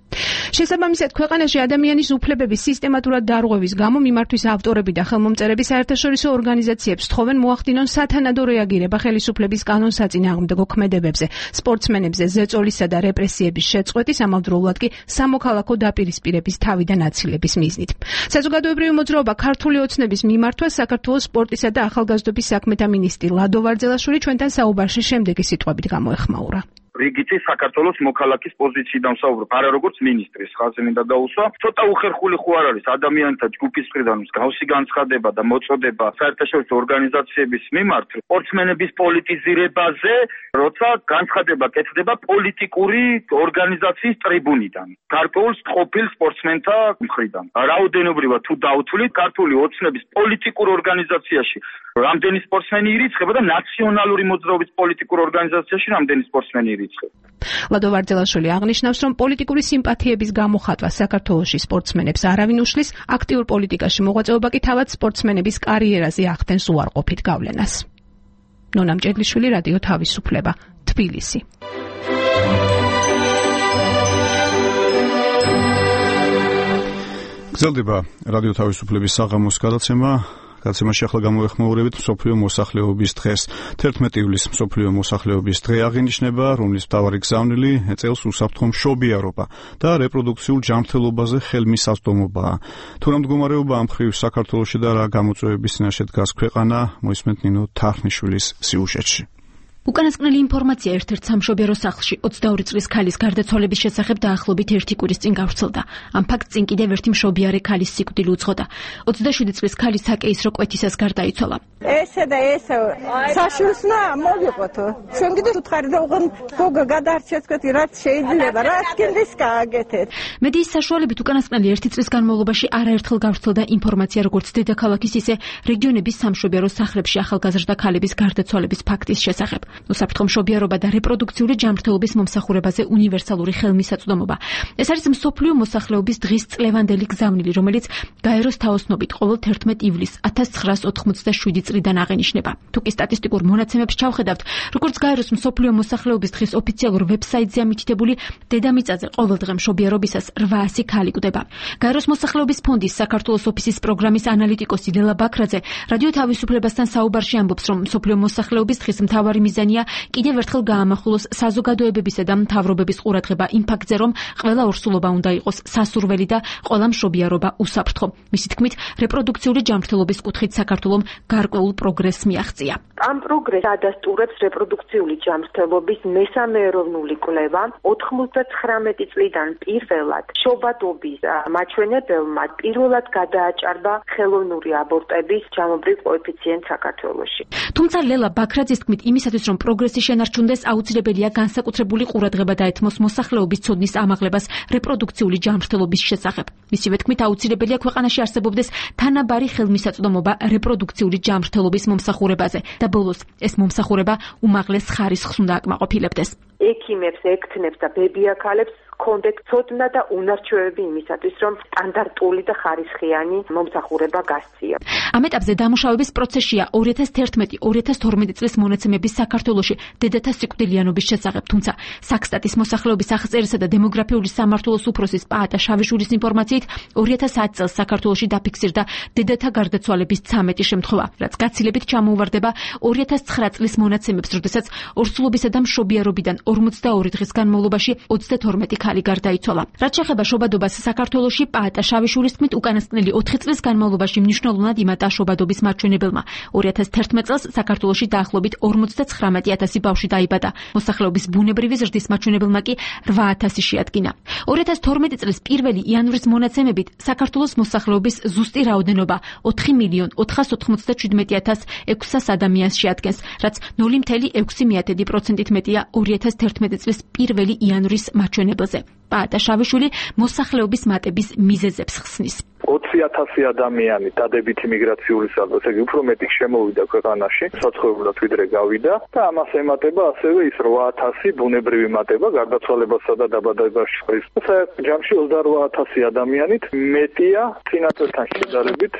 შესაბამისად, ქვეყანაში ადამიანის უფლებების სისტემატურად დარღვევის გამო მიმართვის ავტორები და ხელმომწერები საერთაშორისო ორგანიზაციებს თხოვენ მოახდინონ სათანადო რეაგირება ხელისუფლების კანონსაწინააღმდეგო ქმედებებზე, სპორტსმენებზე ზეწოლისა და რეპრესიების შეწყვეტის, ამავდროულად კი სამოქალაქო დაპირისპირების თავიდან აცილების მიზნით. საზოგადოებრივი მოძრაობა ქართული ოცნების მიმართვა საქართველოს სპორტისა და ახალგაზრდობის საქმეთა მინისტრი ლადო ვარძელაშვილი ჩვენთან საუბარში შემდეგი სიტყვებით გამოეხმაურა. რიგითი საქართველოს მოქალაქის პოზიციიდან ვსაუბრობ, არა როგორც მინისტრის ხაზი მინდა გაუსვა. ცოტა უხერხული ხო არ არის ადამიანთა ჯგუფის მხრიდან მსგავსი განცხადება და მოწოდება საერთაშორისო ორგანიზაციების მიმართ სპორტსმენების პოლიტიზირებაზე, როცა განცხადება კეთდება პოლიტიკური ორგანიზაციის ტრიბუნიდან, გარკვეულ ყოფილ სპორტსმენთა მხრიდან. რაოდენობრივად თუ დავთვლით, ქართული ოცნების პოლიტიკურ ორგანიზაციაში რამდენი სპორტსმენი ირიცხება და ნაციონალური მოძრაობის პოლიტიკურ ორგანიზაციაში რამდენი სპორტსმენი ირიცხება. ლადო ვარძელაშვილი აღნიშნავს, რომ პოლიტიკური სიმპათიების გამოხატვა საქართველოში სპორტსმენებს არავინ უშლის, აქტიურ პოლიტიკაში მოღვაწეობა კი თავად სპორტსმენების კარიერაზე ახდენს უარყოფით გავლენას. ნონა მჭედლიშვილი, რადიო თავისუფლება, თბილისი. გრძელდება რადიო თავისუფლების საღამოს გადაცემა. გადაცემაში ახლა გამოეხმაურებით მსოფლიო მოსახლეობის დღეს. 11 ივლისს მსოფლიო მოსახლეობის დღე აღინიშნება, რომლის მთავარი გზავნილი წელს უსაფრთხო მშობიარობა და რეპროდუქციულ ჯანმრთელობაზე ხელმისაწვდომობაა. თუ რა მდგომარეობა ამ მხრივ საქართველოში და რა გამოწვევების წინაშე დგას ქვეყანა, მოისმენთ ნინო თარხნიშვილის სიუჟეტში. უკანასკნელი ინფორმაცია ერთ-ერთ სამშობიარო სახლში 22 წლის ქალის გარდაცვალების შესახებ დაახლოებით 1 კვირის წინ გავრცელდა. ამ ფაქტს წინ კიდევ ერთი მშობიარე ქალის სიკვდილი უძღოდა. 27 წლის ქალი საკეისრო კვეთისას გარდაიცვალა. ესე და ესე საშულსნა მოვიყოთო. ჩვენ კიდე უთხარი და უღონ გოგა გადარჩეთ თქვი რაც შეიძლება, რაც კიდეს გააკეთეთ. მედიის საშუალებით უკანასკნელი 1 წლის განმავლობაში არაერთხელ გავრცელდა ინფორმაცია როგორც დედაქალაქის ისე რეგიონების სამშობიარო სახლებში ახალგაზრდა ქალების გარდაცვალების ფაქტის შესახებ. უსაფრთხო მშობიარობა და რეპროდუქციული ჯანმრთელობის მომსახურებაზე უნივერსალური ხელმისაწვდომობა. ეს არის მსოფლიო მოსახლეობის დღის წლევანდელი გზავნილი, რომელიც გაეროს თაოსნობით ყოველ 11 ივლისს 1987 წლიდან აღენიშნება. თუ კი სტატისტიკურ მონაცემებს ჩავხედავთ, როგორც გაეროს მსოფლიო მოსახლეობის დღის ოფიციალურ ვებსაიტზე ამითითებული, დედამიწაზე ყოველ დღე მშობიარობისას 800 ქალი კვდება. გაეროს მოსახლეობის ფონდის საქართველოს ოფისის პროგრამის ანალიტიკოსი ლელა ბაქრაძე რადიო თავისუფლებასთან საუბარში ამბობს, რომ მსოფლიო მოსახლეობის დღის მთავარი მიზანია კიდევ ერთხელ გაამახვილოს საზოგადოებებისა და მთავრობების ყურადღება იმ ფაქტზე, რომ ყველა ორსულობა უნდა იყოს სასურველი და ყველა მშობიარობა უსაფრთხო. მისი თქმით, რეპროდუქციული ჯანმრთელობის კუთხით საქართველომ გარკვეულ პროგრესს მიაღწია. ამ პროგრესს ადასტურებს რეპროდუქციული ჯანმრთელობის მესამე ეროვნული კვლევა 99 წლიდან პირველად შობადობის მაჩვენებელმა პირველად გადააჭარბა ხელოვნური აბორტების ჯამობრივ კოეფიციენტს საქართველოში. თუმცა ლელა ბაქრაძის თქმით, იმისათვის რომ პროგრესი შენარჩუნდეს, აუცილებელია განსაკუთრებული ყურადღება დაეთმოს მოსახლეობის ცოდნის ამაღლებას რეპროდუქციული ჯანმრთელობის შესახებ. მისივე თქმით, აუცილებელია ქვეყანაში არსებობდეს თანაბარი ხელმისაწვდომობა რეპროდუქციული ჯანმრთელობის მომსახურებაზე და ბოლოს ეს მომსახურება უმაღლეს ხარისხს უნდა აკმაყოფილებდეს. ექიმებს, ექთნებს და ბებიაქალებს კონდეთ ცოდნა და უნარჩვევები იმისათვის, რომ სტანდარტული და ხარისხიანი მომსახურება გასწია. ამ ეტაპზე დამუშავების პროცესია 2011-2012 წლის მონაცემების საქართველოში დედათა სიკვდილიანობის შესახებ, თუმცა საქსტატის მოსახლეობის აღწერისა და დემოგრაფიული სამმართველოს უფროსის პაატა შავიშვილის ინფორმაციით 2010 წელს საქართველოში დაფიქსირდა დედათა გარდაცვალების 13 შემთხვევა, რაც გაცილებით ჩამოუვარდება 2009 წლის მონაცემებს, როდესაც ორსულობისა და მშობიარობიდან 42 დღის განმავლობაში 32 ქალი გარდაიცვალა. რაც შეეხება შობადობას საქართველოში, პაატა შავიშვილის თქმით, უკანასკნელი 4 წლის განმავლობაში მნიშვნელოვნად იმატა შობადობის მაჩვენებელმა. 2011 წელს საქართველოში დაახლოებით 59000 ბავშვი დაიბადა. მოსახლეობის ბუნებრივი ზრდის მაჩვენებელმა კი 8000 შეადგინა. 2012 წლის 1 იანვრის მონაცემებით საქართველოს მოსახლეობის ზუსტი რაოდენობა 4.497.600 ადამიანს შეადგენს, რაც 0.6% მეტია 2011 წლის 1 იანვრის მაჩვენებელზე. პაატა შავიშვილი მოსახლეობის მატების მიზეზებს ხსნის. 20,000 ადამიანი დადებითი მიგრაციული სალდო, ესე იგი უფრო მეტი შემოვიდა ქვეყანაში, საცხოვრებლად ვიდრე გავიდა და ამას ემატება ასევე ის 8,000 ბუნებრივი მატება გარდაცვალებასა და დაბადებაში. საერთოდ ჯამში 28,000 ადამიანით მეტია წინა წელთან შედარებით.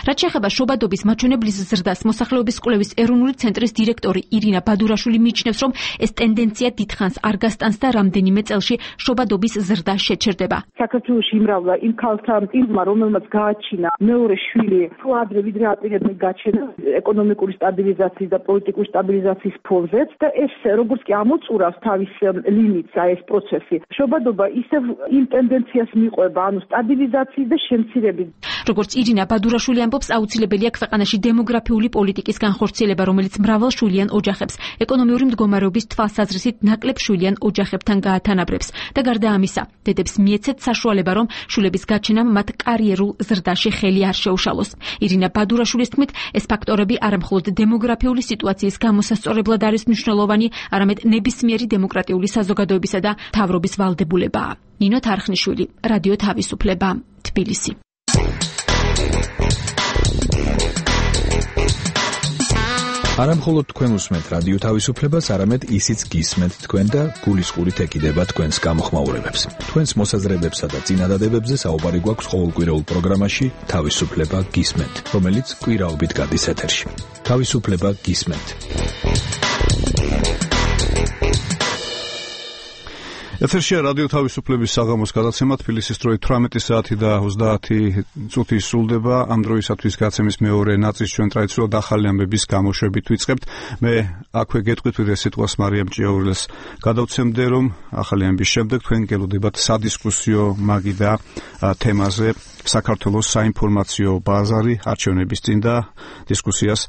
რაც შეეხება შობადობის მაჩვენებლის ზრდას, მოსახლეობის კვლევის ეროვნული ცენტრის დირექტორი ირინა ბადურაშვილი მიიჩნევს, რომ ეს ტენდენცია დიდხანს არ გასტანს და რამდენიმე წელში შობადობის ზრდა შეჩერდება. საქართველოში იმრავლა იმ ქალთან პირმა, რომელმაც გააჩინა მეორე შვილი, თუ ადრე ვიდრე აპირებდნენ გაჩენა ეკონომიკური სტაბილიზაციის და პოლიტიკური სტაბილიზაციის ფონზეც და ეს როგორც კი ამოწურავს თავის ლიმიტს ეს პროცესი. შობადობა ისევ იმ ტენდენციას მიყვება, ანუ სტაბილიზაციის და შემცირების. როგორც ირინა ბადურაშვილი ამბობს, აუცილებელია ქვეყანაში დემოგრაფიული პოლიტიკის განხორციელება, რომელიც მრავალშვილიან ოჯახებს ეკონომიური მდგომარეობის თვალსაზრისით ნაკლებშვილიან ოჯახებთან გაათანაბრებს და გარდა ამისა, დედებს მიეცეთ საშუალება, რომ შვილების გაჩენამ მათ კარიერულ ზრდაში ხელი არ შეუშალოს. ირინა ბადურაშვილის თქმით, ეს ფაქტორები არამხოლოდ დემოგრაფიული სიტუაციის გამოსასწორებლად არის მნიშვნელოვანი, არამედ ნებისმიერი დემოკრატიული საზოგადოებისა და მთავრობის ვალდებულებაა. ნინო თარხნიშვილი, რადიო თავისუფლება, თბილისი. არამხოლოდ თქვენ უსმენთ რადიო თავისუფლებას, არამედ ისიც გისმენთ თქვენ და გულისყურით ეკიდება თქვენს გამოხმაურებებს. თქვენს მოსაზრებებსა და წინადადებებზე საუბარი გვაქვს ყოველკვირეულ პროგრამაში თავისუფლება გისმენთ, რომელიც კვირაობით გადის ეთერში. თავისუფლება გისმენთ. ეთერშია რადიო თავისუფლების საღამოს გადაცემა თბილისის დროით 18 საათი და 30 წუთი სრულდება. ამ დროისათვის გაცემის მეორე ნაწილს ჩვენ ტრადიციულად ახალი ამბების გამოშვებით ვიწყებთ. მე აქვე გეტყვით ვიდრე სიტყვას მარიამ ჭიაურელს გადავცემდე, რომ ახალი ამბის შემდეგ თქვენ გელოდებათ სადისკუსიო მაგიდა თემაზე საქართველოს საინფორმაციო ბაზარი არჩევნების წინ და დისკუსიას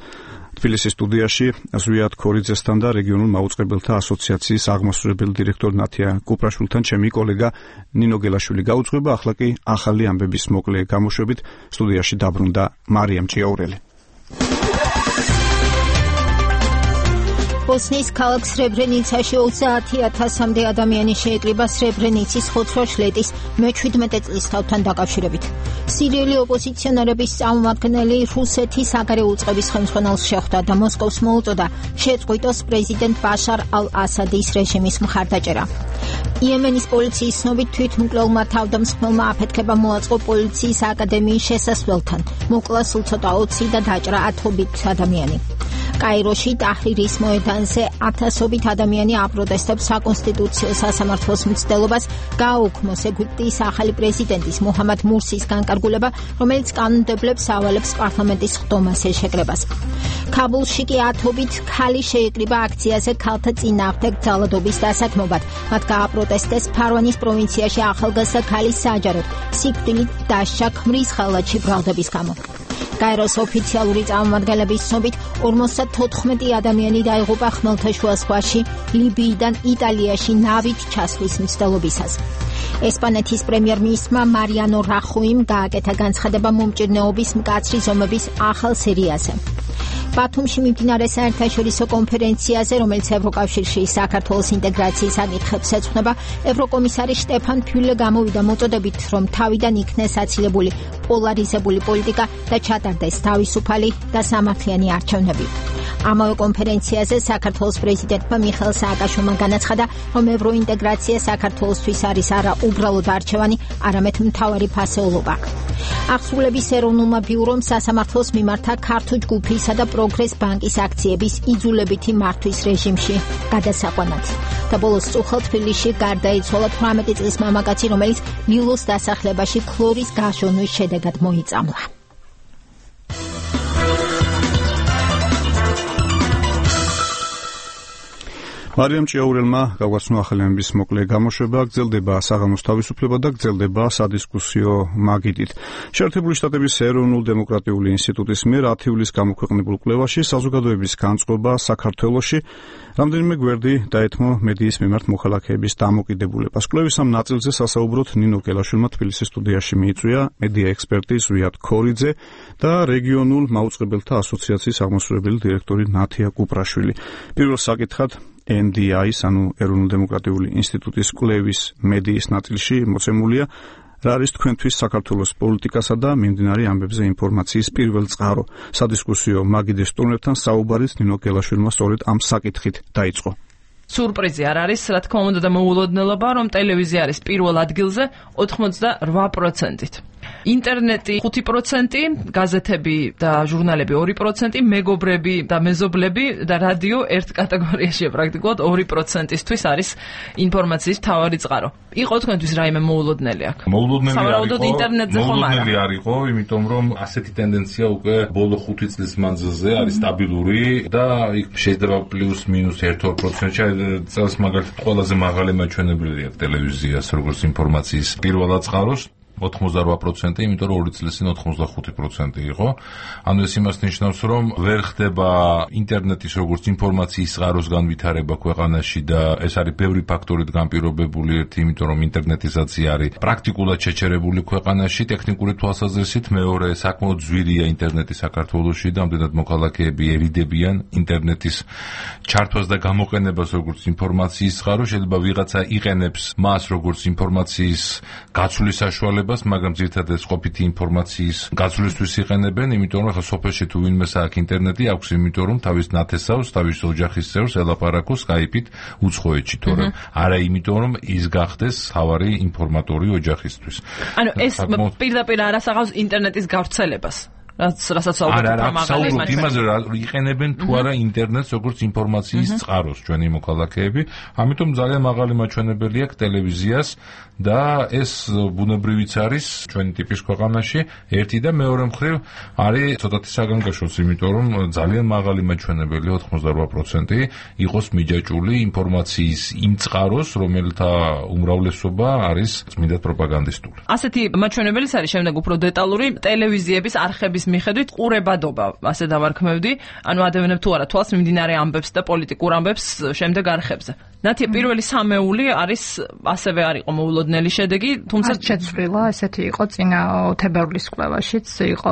თბილისის სტუდიაში ზვიად ქორიძესთან და რეგიონულ მაუწყებელთა ასოციაციის აღმასრულებელი დირექტორ ნათია კუპრაშვილთან ჩემი კოლეგა ნინო გელაშვილი გაუძღვება. ახლა კი ახალი ამბების მოკლე გამოშვებით სტუდიაში დაბრუნდა მარიამ ჭიაურელი. ბოსნიის ქალაქ სრებრენიცაში 30,000-მდე ადამიანი შეეკრიბა სრებრენიცის ხოცვა-შლეტის მე-17 წლისთავთან დაკავშირებით. სირიული ოპოზიციონერების წარმომადგენელი რუსეთის საგარეო უწყების ხელმძღვანელს შეხვდა და მოსკოვს მოუწოდა შეწყვიტოს პრეზიდენტ ბაშარ ალ-ასადის რეჟიმის მხარდაჭერა. იემენის პოლიციის ცნობით თვითმკვლელმა თავდამსხმელმა აფეთქება მოაწყო პოლიციის აკადემიის შესასვლელთან. მოკლა სულ ცოტა 20 და დაჭრა 10 ადამიანი. კაიროში ტაჰრირის მოედანზე ათასობით ადამიანი აპროტესტებს საკონსტიტუციო სასამართლოს მცდელობას გააუქმოს ეგვიპტის ახალი პრეზიდენტის მუჰამად მურსის განკარგულება, რომელიც კანონმდებლებს ავალებს პარლამენტის ხდომას ეშეკრებას. ქაბულში კი ათობით ქალი შეეკრიბა აქციაზე ქალთა წინააღმდეგ ძალადობის დასაქმებად. მათ გააპროტესტეს ფარვანის პროვინციაში ახალგაზრდა ქალის საჯაროდ სიკვდილით დასჯა ქმრის ხალათში ბრალდების გამო. კაიროს ოფიციალური წარმომადგენლების ცნობით 54 ადამიანი დაიღუპა ხმელთაშუა ზღვაში ლიბიიდან იტალიაში ნავით ჩასვლის მცდელობისას. ესპანეთის პრემიერ-მინისტრმა მარიანო რახუიმ გააკეთა განცხადება მომჭირნეობის მკაცრი ზომების ახალ სერიაზე. ბათუმში მიმდინარე საერთაშორისო კონფერენციაზე, რომელიც ევროკავშირში საქართველოს ინტეგრაციის საკითხებს ეძღვნება, ევროკომისარი შტეფან ფიულე გამოვიდა მოწოდებით, რომ თავიდან იქნეს აცილებული პოლარიზებული პოლიტიკა და ჩატარდეს თავისუფალი და სამართლიანი არჩევნები. ამავე კონფერენციაზე საქართველოს პრეზიდენტმა მიხეილ სააკაშვილმა განაცხადა, რომ ევროინტეგრაცია საქართველოსთვის არის არა უბრალოდ არჩევანი, არამედ მთავარი ფასეულობა. აღსრულების ეროვნულმა ბიურომ სასამართლოს მიმართა ქართულ ჯგუფისა და პროგრეს ბანკის აქციების იძულებითი მართვის რეჟიმში გადასაყვანად. და ბოლოს წუხელ თბილისში გარდაიცვალა 18 წლის მამაკაცი, რომელიც ვილოს დასახლებაში ქლორის გაშონვის შედეგად მოიწამლა. მარიამ ჭიაურელმა გაგვაცნო ახალი ამბის მოკლე გამოშვება. გრძელდება საღამოს თავისუფლება და გრძელდება სადისკუსიო მაგიდით. შეერთებული შტატების ეროვნულ დემოკრატიული ინსტიტუტის მიერ 10 ივლისს გამოქვეყნებულ კვლევაში საზოგადოების განწყობა საქართველოში რამდენიმე გვერდი დაეთმო მედიის მიმართ მოქალაქეების დამოკიდებულებას. კვლევის ამ ნაწილზე სასაუბროდ ნინო გელაშვილმა თბილისის სტუდიაში მიიწვია მედია ექსპერტი ზვიად ქორიძე და რეგიონულ მაუწყებელთა ასოციაციის აღმასრულებელი დირექტორი ნათია კუპრაშვილი. პირველ საკითხად NDI-ის, ანუ ეროვნულ დემოკრატიული ინსტიტუტის კვლევის მედიის ნაწილში მოცემულია რა არის თქვენთვის საქართველოს პოლიტიკასა და მიმდინარე ამბებზე ინფორმაციის პირველ წყარო. სადისკუსიო მაგიდის სტუმრებთან საუბარიც ნინო გელაშვილმა სწორედ ამ საკითხით დაიწყო. სურპრიზი არ არის, რა თქმა უნდა და მოულოდნელობა, რომ ტელევიზია არის პირველ ადგილზე 88%-ით. ინტერნეტი 5%, გაზეთები და ჟურნალები 2%, მეგობრები და მეზობლები და რადიო ერთ კატეგორიაშია პრაქტიკულად 2%-ისთვის არის ინფორმაციის მთავარი წყარო. იყო თქვენთვის რაიმე მოულოდნელი აქ? მოულოდნელი არისო, იმიტომ რომ ასეთი ტენდენცია უკვე ბოლო 5 წლის მანძილზე არის სტაბილური და იქ შეიძლება პლუს მინუს 1-2%-ში წელს მაგალითად ყველაზე მაღალი მაჩვენებელია ტელევიზიას როგორც ინფორმაციის პირველად წყაროს. 88%, იმიტომ რომ 2 წლის წინ 85% იყო. ანუ ეს იმას ნიშნავს, რომ ვერ ხდება ინტერნეტის როგორც ინფორმაციის წყაროს განვითარება ქვეყანაში და ეს არის ბევრი ფაქტორით განპირობებული. ერთი, იმიტომ რომ ინტერნეტიზაცია არის პრაქტიკულად შეჩერებული ქვეყანაში ტექნიკური თვალსაზრისით. მეორე, საკმაოდ ძვირია ინტერნეტი საქართველოში და ამდენად მოქალაქეები ერიდებიან ინტერნეტის ჩართვას და გამოყენებას როგორც ინფორმაციის წყარო. შეიძლება ვიღაცა იყენებს მას როგორც ინფორმაციის გაცვლის საშუალებას, მაგრამ ძირითადად ეს ყოფითი ინფორმაციის გაცვლისთვის იყენებენ, იმიტომ რომ ახლა სოფელში თუ ვინმეს აქვს ინტერნეტი აქვს, იმიტომ რომ თავის ნათესავს, თავის ოჯახის წევრს ელაპარაკოს Skype-ით უცხოეთში, თორემ არა იმიტომ რომ ის გახდეს თავარი ინფორმატორი ოჯახისთვის. ანუ ეს პირდაპირ არ ასახავს ინტერნეტის გავრცელებას. რასაც საუბრობთ იმაზე იყენებენ თუ არა ინტერნეტს როგორც ინფორმაციის წყაროს ჩვენი მოქალაქეები, ამიტომ ძალიან მაღალი მაჩვენებელი აქვს ტელევიზიას და ეს ბუნებრივიც არის ჩვენი ტიპის ქვეყანაში ერთი და მეორე მხრივ არის ცოტათი საგანგაშოც, იმიტომ რომ ძალიან მაღალი მაჩვენებელი 88% იყოს მიჯაჭული ინფორმაციის იმ წყაროს, რომელთა უმრავლესობა არის წმინდა პროპაგანდისტული. ასეთი მაჩვენებელიც არის შემდეგ უფრო დეტალური ტელევიზიების არხების მიხედვით ყურებადობა, ასე დავარქმევდი, ანუ ადევნებ თუ არა თვალს მიმდინარე ამბებს და პოლიტიკურ ამბებს შემდეგ არხებზე. ნათია პირველი სამეული არის ასევე არ იყო მოულოდნელი შედეგი, თუმცა შეცვლილა, ესეთი იყო წინა თებერვლის კვლევაშიც, იყო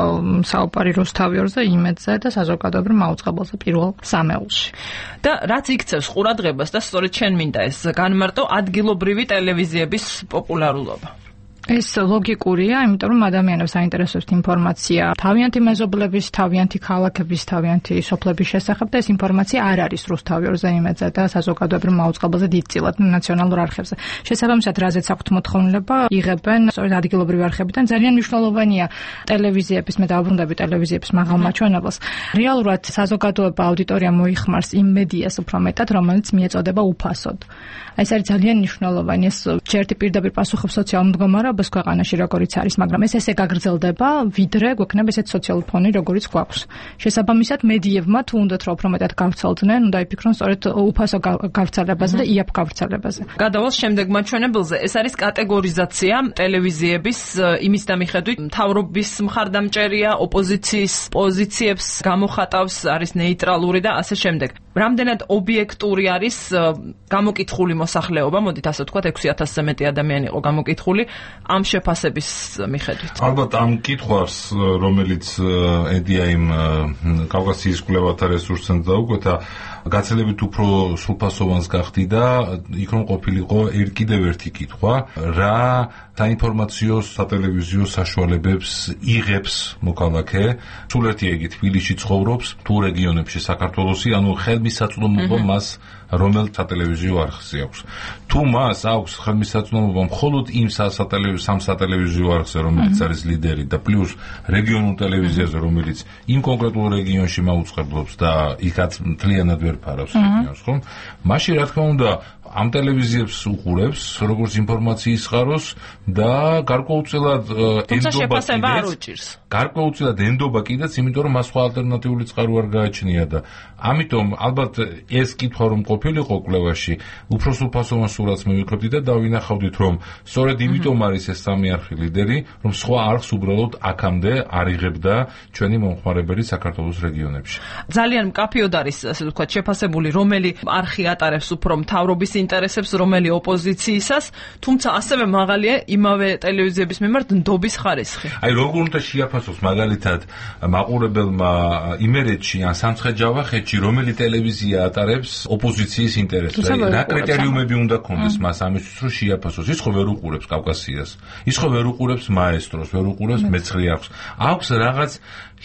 საუბარი რუსთავიორზე, იმედზე და საზოგადოებრივ მაუწყებელზე პირველ სამეულში. და რაც იქცევს ყურადღებას და სწორედ შენ მინდა ეს განმარტო ადგილობრივი ტელევიზიების პოპულარულობა. ეს ლოგიკურია, იმიტომ რომ ადამიანებს აინტერესებს ინფორმაცია თავიანთი მეზობლების, თავიანთი ქალაქების, თავიანთი სოფლების შესახებ და ეს ინფორმაცია არ არის რუსთავიორზე, იმედზე და საზოგადოებრივ მაუწყებელზე დიდწილად ნაციონალურ არხებზე. შესაბამისად, რაზეც აქვთ მოთხოვნილება, იღებენ სწორედ ადგილობრივი არხებიდან. ძალიან მნიშვნელოვანია ტელევიზიების, მე დავბრუნდები ტელევიზიების მაღალ მაჩვენებელს. რეალურად საზოგადოება აუდიტორია მოიხმარს იმ მედიას უფრო მეტად, რომელიც მიეწოდება უფასოდ. ეს არის ძალიან მნიშვნელოვანი. ეს ჯერტი პირდაპირ პასუხობს სოციალურ მდგომარეობას ქვეყანაში, როგორიც არის, მაგრამ ეს ესე გაგრძელდება, ვიდრე გვექნება ესეთ სოციალური ფონი, როგორიც გვაქვს. შესაბამისად, მედიებმა თუ უნდათ რომ უფრო მეტად გავრცელდნენ, უნდა იფიქრონ სწორედ უფასო გავრცელებაზე და იაფ გავრცელებაზე. გადავალს შემდეგ მაჩვენებელზე, ეს არის კატეგორიზაცია ტელევიზიების იმის და მიხედვით, მთავრობის მხარდამჭერია, ოპოზიციის პოზიციებს გამოხატავს, არის ნეიტრალური და ასე შემდეგ. რამდენად ობიექტური არის გამოკითხული მოსახლეობა, მოდით ასე ვთქვათ, 6000-ზე მეტი ადამიანი იყო გამოკითხული ამ შეფასების მიხედვით. ალბათ ამ კითხვას, რომელიც ედია იმ კავკასიის კვლევათა რესურსს დაუკვეთა, გაცილებით უფრო სრულფასოვანს გახდი და იქ რომ ყოფილიყო კიდევ ერთი კითხვა, რა საინფორმაციო სატელევიზიო საშუალებებს იღებს მოქალაქე, სულ ერთი იგი თბილისში ცხოვრობს, თუ რეგიონებში საქართველოსი, ანუ ხელმისაწვდომობა მას რომელ სატელევიზიო არხზე აქვს. თუ მას აქვს ხელმისაწვდომობა მხოლოდ იმ სამ სატელევიზიო არხზე, რომელიც არის ლიდერი და პლუს რეგიონულ ტელევიზიაზე, რომელიც იმ კონკრეტულ რეგიონში მაუწყებლობს და იქაც მთლიანად ვერ ფარავს რეგიონს, ხო? მაშინ რა თქმა უნდა ამ ტელევიზიებს უყურებს, როგორც ინფორმაციის წყაროს და გარკვეულწილად ენდობა კიდეც, იმიტომ რომ მას სხვა ალტერნატიული წყარო არ გააჩნია და ამიტომ ალბათ ეს კითხვა რომ ყოფილიყო კვლევაში, უფრო სრულფასოვან სურათს მივიღებდი და დავინახავდით, რომ სწორედ იმიტომ არის ეს სამი არხი ლიდერი, რომ სხვა არხს უბრალოდ აქამდე არ იღებდა ჩვენი მომხმარებელი საქართველოს რეგიონებში. ძალიან მკაფიოდ არის, ასე ვთქვათ, შეფასებული, რომელი არხი ატარებს უფრო მთავრობის ინტერესებს, რომელი ოპოზიციისას, თუმცა ასევე მაღალია იმავე ტელევიზიების მიმართ ნდობის ხარისხი. აი როგორ უნდა შეაფასოს მაგალითად მაყურებელმა იმერეთში ან სამცხე-ჯავახეთში, რომელი ტელევიზია ატარებს ოპოზიციის ინტერესებს. რა კრიტერიუმები უნდა ქონდეს მას ამისთვის, რომ შეაფასოს? ის ხო ვერ უყურებს კავკასიას, ის ხო ვერ უყურებს მაესტროს, ვერ უყურებს მეცხრე არხს. აქვს რაღაც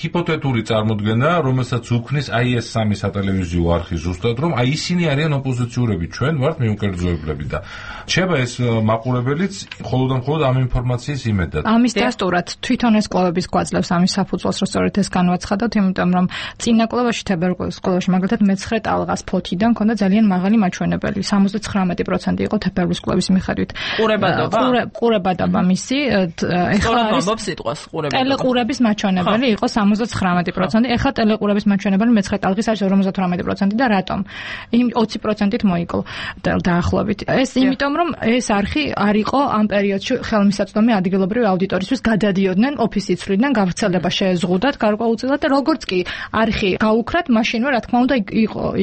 ჰიპოთეტური წარმოდგენა, რომელსაც უქმნის აი ეს სამი სატელევიზიო არხი ზუსტად, რომ აი ისინი არიან ოპოზიციურები, ჩვენ ვართ მიუკერძოებლები და შეება ეს მაყურებელიც მხოლოდ ამ ინფორმაციის იმედად. ამის დასტურად თვითონ ეს კვლევების გვაძლევს ამის საფუძველს, რომ სწორედ ეს განვაცხადოთ, იმიტომ რომ წინა კვლევაში თებერვლის კვლევაში მაგალითად მე-9 ტალღას ფოთიდან ქონდა ძალიან მაღალი მაჩვენებელი, 79% იყო თებერვლის კვლევის მიხედვით. ყურებადობა მისი, ეხლა ამბობს სიტყვას ყურებადობა. ტელეყურების მაჩვენებელი იყო 79%, ეხლა ტელეყურების მაჩვენებელი მე-9 ტალღის არის 58% და რატომ? 20%-ით მოიკლო დაახლოებით. ეს იმიტომ რომ ეს არხი არ იყო ამ პერიოდში ხელმისაწვდომი ადგილობრივი აუდიტორისთვის, გადადიოდნენ ოფისის ცვლიდან, გავრცელება შეეზღუდათ გარკვეულწილად და როგორც კი არხი გაუქრათ, მაშინვე რა თქმა უნდა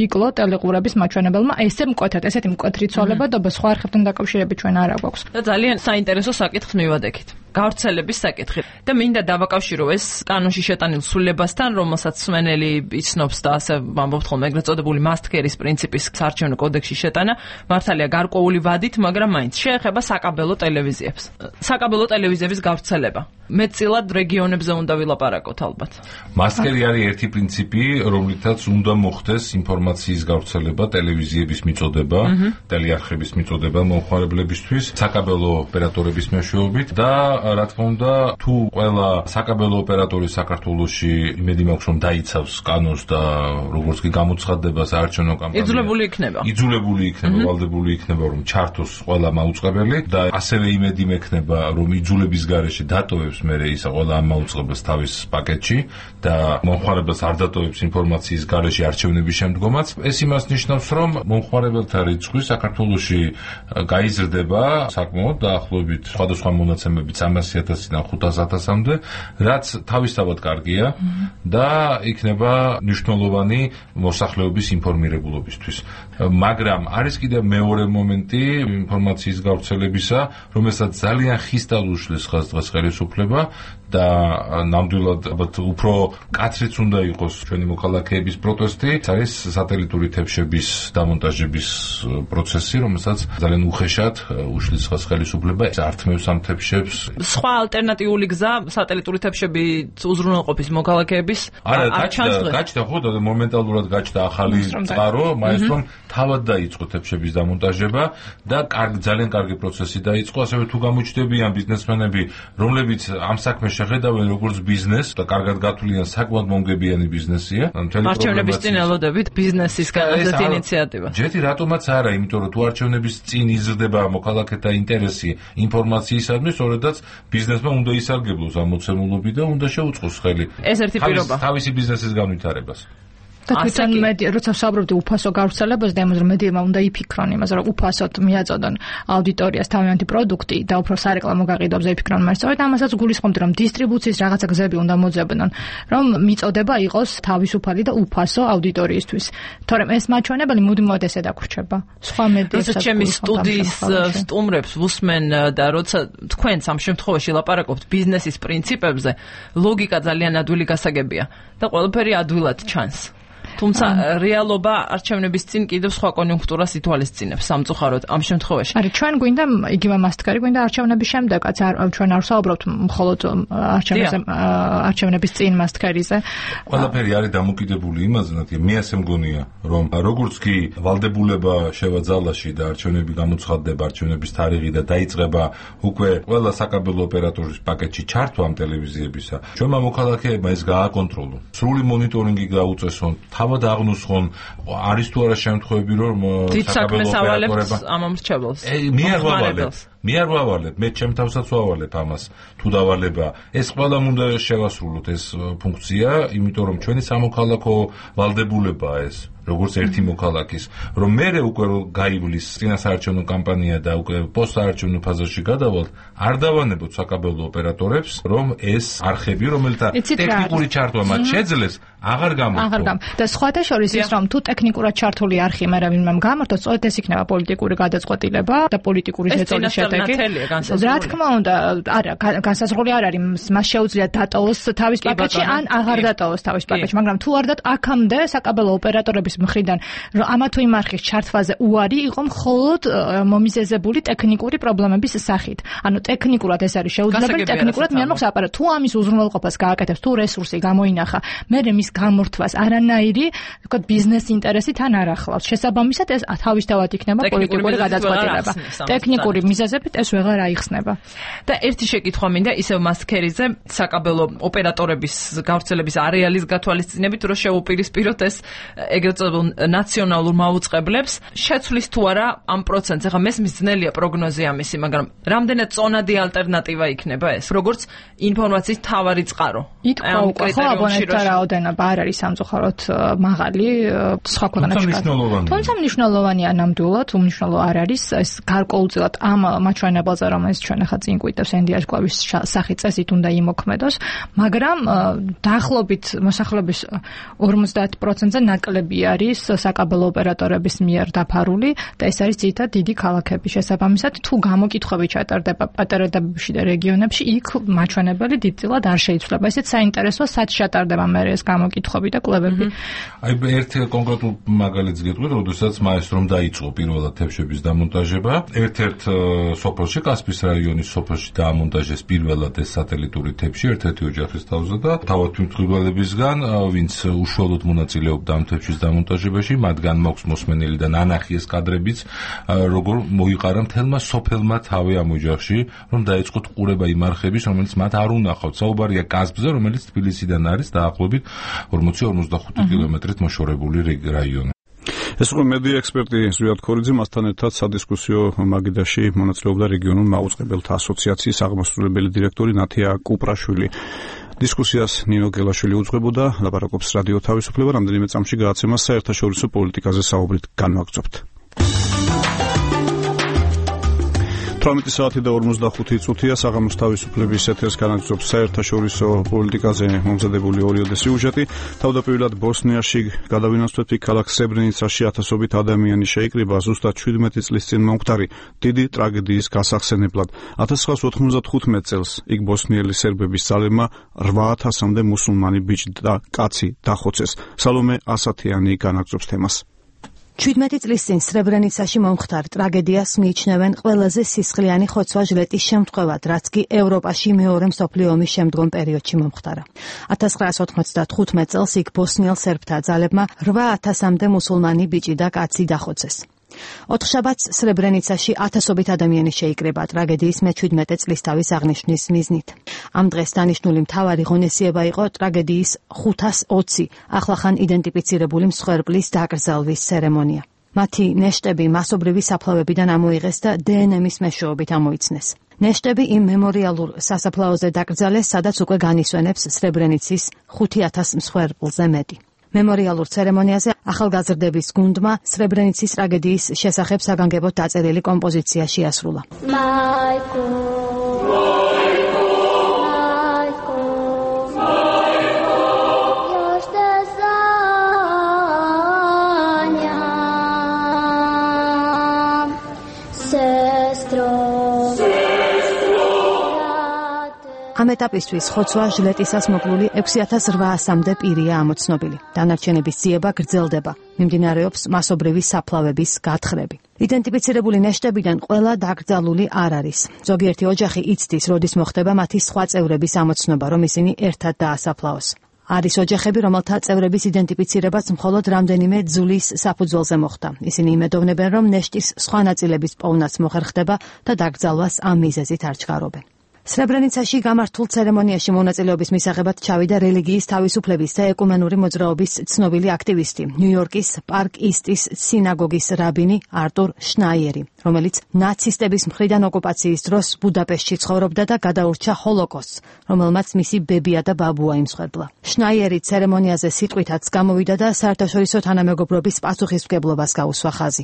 იკლო ტელეყურების მაჩვენებელმა ესე მკვეთრად, ესეთი მკვეთრი ცვალებადობა სხვა არხებთან დაკავშირებით ჩვენ არ აგვაქვს. და ძალიან საინტერესო საკითხს მივადექით. გავრცელების საკითხი. და მინდა დავაკავშირო ეს კანონში შეტანილ სრულებასთან, რომელსაც მსმენელი იცნობს და ასე ვამბობთ ხოლმე, ეგრეთ წოდებული მასტკერის პრინციპის საარჩევნო კოდექსში შეტანა, მართალია გარკვეული ვადით, მაგრამ მაინც შეეხება საკაბელო ტელევიზიებს. საკაბელო ტელევიზიების გავრცელება. მეტწილად რეგიონებზე უნდა ვილაპარაკოთ ალბათ. მასტკერი არის ერთი პრინციპი, რომლითაც უნდა მოხდეს ინფორმაციის გავრცელება, ტელევიზიების მიწოდება, ტელეარხების მიწოდება მომხმარებლებისთვის, საკაბელო ოპერატორების მეშვეობით და რა თქმა უნდა, თუ ყველა საკაბელო ოპერატორი საქართველოში იმედი მაქვს რომ დაიცავს კანონს და როგორც კი გამოცხადდება საარჩევნო კამპანია იძულებული იქნება, ვალდებული იქნება რომ ჩართოს ყველა მაუწყებელი და ასევე იმედი მექნება რომ იძულების გარეშე დატოვებს მერე ისა ყველა ამ მაუწყებელს თავის პაკეტში და მომხმარებელს არ დატოვებს ინფორმაციის გარეშე არჩევნების შემდგომაც. ეს იმას ნიშნავს რომ მომხმარებელთა რიცხვი საქართველოში გაიზრდება საკმაოდ დაახლოებით სხვადასხვა მონაცემებით 300,000-დან 500,000-მდე, რაც თავისთავად კარგია და იქნება მნიშვნელოვანი მოსახლეობის ინფორმირებულობისთვის. მაგრამ არის კიდევ მეორე მომენტი ინფორმაციის გავრცელებისა, რომელსაც ძალიან ხისტად უშლის დღეს ხელისუფლება და ნამდვილად უფრო კაცრიც უნდა იყოს ჩვენი მოქალაქეების პროტესტი. არის სატელიტური თებშების დამონტაჟების პროცესი, რომელსაც ძალიან უხეშად უშლის ხელისუფლება, ართმევს ამ თებშებს. სხვა ალტერნატიული გზა სატელიტური თებშები უზრუნველყოფის მოქალაქეების გაჩნდა ხო და მომენტალურად გაჩნდა ახალი წყარო, მაესტრომ თავად დაიწყო თებშების დამონტაჟება და ძალიან კარგი პროცესი დაიწყო. ასევე თუ გამოჩნდებიან ბიზნესმენები, რომლებიც ამ საქმეს შეხედავენ როგორც ბიზნესს და კარგად გათვლიან საკმაოდ მომგებიანი ბიზნესია. არჩევნების წინ ელოდებით ბიზნესის განაცხადი ინიციატივა. ჯეთი რატომაც არა, იმიტომ რომ თუ არჩევნების წინ იზრდება მოქალაქეთა ინტერესი ინფორმაციისადმი, სწორედაც ბიზნესმა უნდა ისარგებლოს ამ მოცემულობით და უნდა შეუწყოს ხელი ეს ერთი პირობა თავისი ბიზნესის განვითარებას. და თვითონ როცა ვსაუბრობდი უფასო გავრცელებას და იმაზე რომ მედიებმა უნდა იფიქრონ იმაზე რომ უფასოდ მიაწოდონ აუდიტორიას თავიანთი პროდუქტი და უფრო სარეკლამო გაყიდვებზე იფიქრონ, მაგრამ სწორედ ამასაც გულისხმობდი რომ დისტრიბუციის რაღაცა გზები უნდა მოძებნონ, რომ მიწოდება იყოს თავისუფალი და უფასო აუდიტორიისთვის. თორემ ეს მაჩვენებელი მუდმივად ესე დაგვრჩება. სხვა მედიებსაც ჩემი სტუდიის სტუმრებს ვუსმენ და როცა თქვენც ამ შემთხვევაში ლაპარაკობთ ბიზნესის პრინციპებზე, ლოგიკა ძალიან ადვილი გასაგებია და ყველაფერი ადვილად ჩანს. თუმცა რეალობა არჩევნების წინ კიდევ სხვა კონიუნქტურას ითვალისწინებს სამწუხაროდ ამ შემთხვევაში. არის ჩვენ გვინდა იგივე მასტკარი გვინდა არჩევნების შემდეგაც ჩვენ არ ვსაუბრობთ მხოლოდ არჩევნების წინ მასტკარიზე. ყველაფერი არის დამოკიდებული იმაზე, მე ასე მგონია, რომ როგორც კი ვალდებულება შევა ძალაში და არჩევნები გამოცხადდება, არჩევნების თარიღი და დაიწყება უკვე ყველა საკაბელო ოპერატორის პაკეტში ჩართვა ამ ტელევიზიებისა, ჩვენმა მოქალაქეებმა ეს გააკონტროლონ. სრული მონიტორინგი გაუწესონ, თავად აღნუსხონ, არის თუ არა შემთხვევები, რომ საკაბელო ოპერატორებს ამომრჩეველს. მე არ ვავალებ, მე ჩემ თავსაც ვავალებ ამას, თუ დავალება. ეს ყველამ უნდა შევასრულოთ ეს ფუნქცია, იმიტომ რომ ჩვენი სამოქალაქო ვალდებულებაა ეს. როგორც ერთი მოქალაქის, რომ მე უკვე გაივლის წინასაარჩევნო კამპანია და უკვე პოსტსაარჩევნო ფაზაში გადავალთ, არ დავანებოთ საკაბელო ოპერატორებს, რომ ეს არხები, რომელთა ტექნიკური ჩართვა მათ შეძლეს, აღარ გამოხდა. და სხვათა შორის ის, რომ თუ ტექნიკურად ჩართული არხი მერე ვინმემ გამართოს, სწორედ ეს იქნება პოლიტიკური გადაწყვეტილება და პოლიტიკური შეწოლის შედეგი. რა თქმა უნდა, არა, განსაზღვრული არ არის, მას შეუძლია დატოვოს თავის პაკეტში, ან აღარ დატოვოს თავის პაკეტში, მაგრამ თუ არ აქამდე საკაბელო ოპერატორების მხრიდან ამა თუ იმ არხის ჩართვაზე უარი იყო მხოლოდ მომიზეზებული ტექნიკური პრობლემების სახით. ანუ ტექნიკურად ეს არის შეუძლებელი, ტექნიკურად მე არ მაქვს აპარატი. თუ ამის უზრუნველყოფას გააკეთებს, თუ რესურსი გამოინახა, მე მის გამორთვას არანაირი, ვთქვათ, ბიზნეს ინტერესი თან არ ახლავს. შესაბამისად ეს თავისთავად იქნება პოლიტიკური გადაწყვეტილება. ტექნიკური მიზეზებით ეს ვეღარ აიხსნება. და ერთი შეკითხვა მინდა ისევ მასკერიზე, საკაბელო ოპერატორების გავრცელების არეალის გათვალისწინებით, რომ შეუპირისპიროთ ეს ეგრეთ ნაციონალურ მაუწყებლებს შეცვლის თუ არა ამ პროცენტს. ახლა მესმის ძნელია პროგნოზი ამისი, მაგრამ რამდენად წონადი ალტერნატივა იქნება ეს, როგორც ინფორმაციის თავარი წყარო. ითქვა უკვე ხო აბონენტთა რაოდენობა არ არის სამწუხაროდ მაღალი სხვა ქვეყნებში. თუმცა მნიშვნელოვანია ნამდვილად, უმნიშვნელო არ არის ეს გარკვეულწილად ამ მაჩვენებელზე, რომელიც ჩვენ ახლა წინ გვიტევს ენდიას კლავის სახით წესით უნდა იმოქმედოს, მაგრამ დაახლოებით მოსახლეობის 50%-ზე ნაკლები არის საკაბელო ოპერატორების მიერ დაფარული და ეს არის ძირითადად დიდი ქალაქები. შესაბამისად, თუ გამოკითხვები ჩატარდება პატარადებში და რეგიონებში, იქ მაჩვენებელი დიდწილად არ შეიცვლება. ესეც საინტერესოა, სად ჩატარდება მე ეს გამოკითხვები და კვლევები. აი ერთი კონკრეტულ მაგალითს გეტყვით, როდესაც მაესტრომ დაიწყო პირველად თებშების დამონტაჟება, ერთ-ერთ სოფელში, კასპიის რაიონის სოფელში დაამონტაჟეს პირველად ეს სატელიტური თებში ერთ-ერთი ოჯახის თავზე და თავად თვითმფრინალებისგან, ვინც უშუალოდ მონაწილეობდა ამ თებშის დამონტაჟებაში, მათგან მაქვს მოსმენილი და ნანახი ეს კადრებიც, როგორ მოიყარა მთელმა სოფელმა თავი ამ ოჯახში, რომ დაეწყოთ ყურება იმ არხების, რომელიც მათ არ უნახავთ. საუბარია კასპზე, რომელიც თბილისიდან არის დაახლოებით 40-45 კილომეტრით მოშორებული რაიონი. ეს იყო მედია ექსპერტი ზვიად ქორიძე, მასთან ერთად სადისკუსიო მაგიდაში მონაწილეობდა რეგიონულ მაუწყებელთა ასოციაციის აღმასრულებელი დირექტორი ნათია კუპრაშვილი. დისკუსიას ნინო გელაშვილი უძღვებოდა, ლაპარაკობს რადიო თავისუფლება, რამდენიმე წამში გააცემა საერთაშორისო პოლიტიკაზე საუბრით განვაგრძობთ. 18 საათი და 45 წუთია საღამოს თავისუფლების ეთერს განაგრძობს საერთაშორისო პოლიტიკაზე მომზადებული ორიოდე სიუჟეტი. თავდაპირველად ბოსნიაში გადავინაცვლეთ ქალაქ სებრენიცაში ათასობით ადამიანი შეიკრიბა ზუსტად 17 წლის წინ მომხდარი დიდი ტრაგედიის გასახსენებლად. 1995 წელს იქ ბოსნიელი სერბების ძალებმა 8000-მდე მუსულმანი ბიჭი და კაცი დახოცეს. სალომე ასათიანი განაგრძობს თემას. 17 წლის წინ სრებრენიცაში მომხდარ ტრაგედიას მიიჩნევენ ყველაზე სისხლიანი ხოცვა-ჟლეტის შემთხვევად, რაც კი ევროპაში მეორე მსოფლიო ომის შემდგომ პერიოდში მომხდარა. 1995 წელს იქ ბოსნიელ სერბთა ძალებმა 8000-მდე მუსულმანი ბიჭი და კაცი დახოცეს. ოთხშაბათს სრებრენიცაში ათასობით ადამიანი შეიკრიბა ტრაგედიის მე-17 წლისთავის აღნიშვნის მიზნით. ამ დღეს დანიშნული მთავარი ღონისძიება იყო ტრაგედიის 520 ახლახან იდენტიფიცირებული მსხვერპლის დაკრძალვის ცერემონია. მათი ნეშტები მასობრივი საფლავებიდან ამოიღეს და დნმ-ის მეშვეობით ამოიცნეს. ნეშტები იმ მემორიალურ სასაფლაოზე დაკრძალეს, სადაც უკვე განისვენებს სრებრენიცის 5000 მსხვერპლზე მეტი. მემორიალურ ცერემონიაზე ახალგაზრდების გუნდმა სრებრენიცის ტრაგედიის შესახებ საგანგებოდ დაწერილი კომპოზიცია შეასრულა. ამ ეტაპისთვის ხოცვა-ჟლეტისას მოკლული 6800-მდე პირია ამოცნობილი. დანარჩენების ძიება გრძელდება. მიმდინარეობს მასობრივი საფლავების გათხრები. იდენტიფიცირებული ნეშტებიდან ყველა დაკრძალული არ არის. ზოგიერთი ოჯახი იცდის, როდის მოხდება მათი სხვა წევრების ამოცნობა, რომ ისინი ერთად დაასაფლავოს. არის ოჯახები, რომელთა წევრების იდენტიფიცირებაც მხოლოდ რამდენიმე ძვლის საფუძველზე მოხდა. ისინი იმედოვნებენ, რომ ნეშტის სხვა ნაწილების პოვნაც მოხერხდება და დაკრძალვას ამ მიზეზით არ ჩქარობენ. სრებრენიცაში გამართულ ცერემონიაში მონაწილეობის მისაღებად ჩავიდა რელიგიის თავისუფლების და ეკუმენური მოძრაობის ცნობილი აქტივისტი, ნიუ-იორკის პარკ ისტის სინაგოგის რაბინი არტურ შნაიერი, რომელიც ნაცისტების მხრიდან ოკუპაციის დროს ბუდაპეშტში ცხოვრობდა და გადაურჩა ჰოლოკოსტს, რომელმაც მისი ბებია და ბაბუა იმსხვერპლა. შნაიერი ცერემონიაზე სიტყვითაც გამოვიდა და საერთაშორისო თანამეგობრობის პასუხისმგებლობას გაუსვა ხაზი.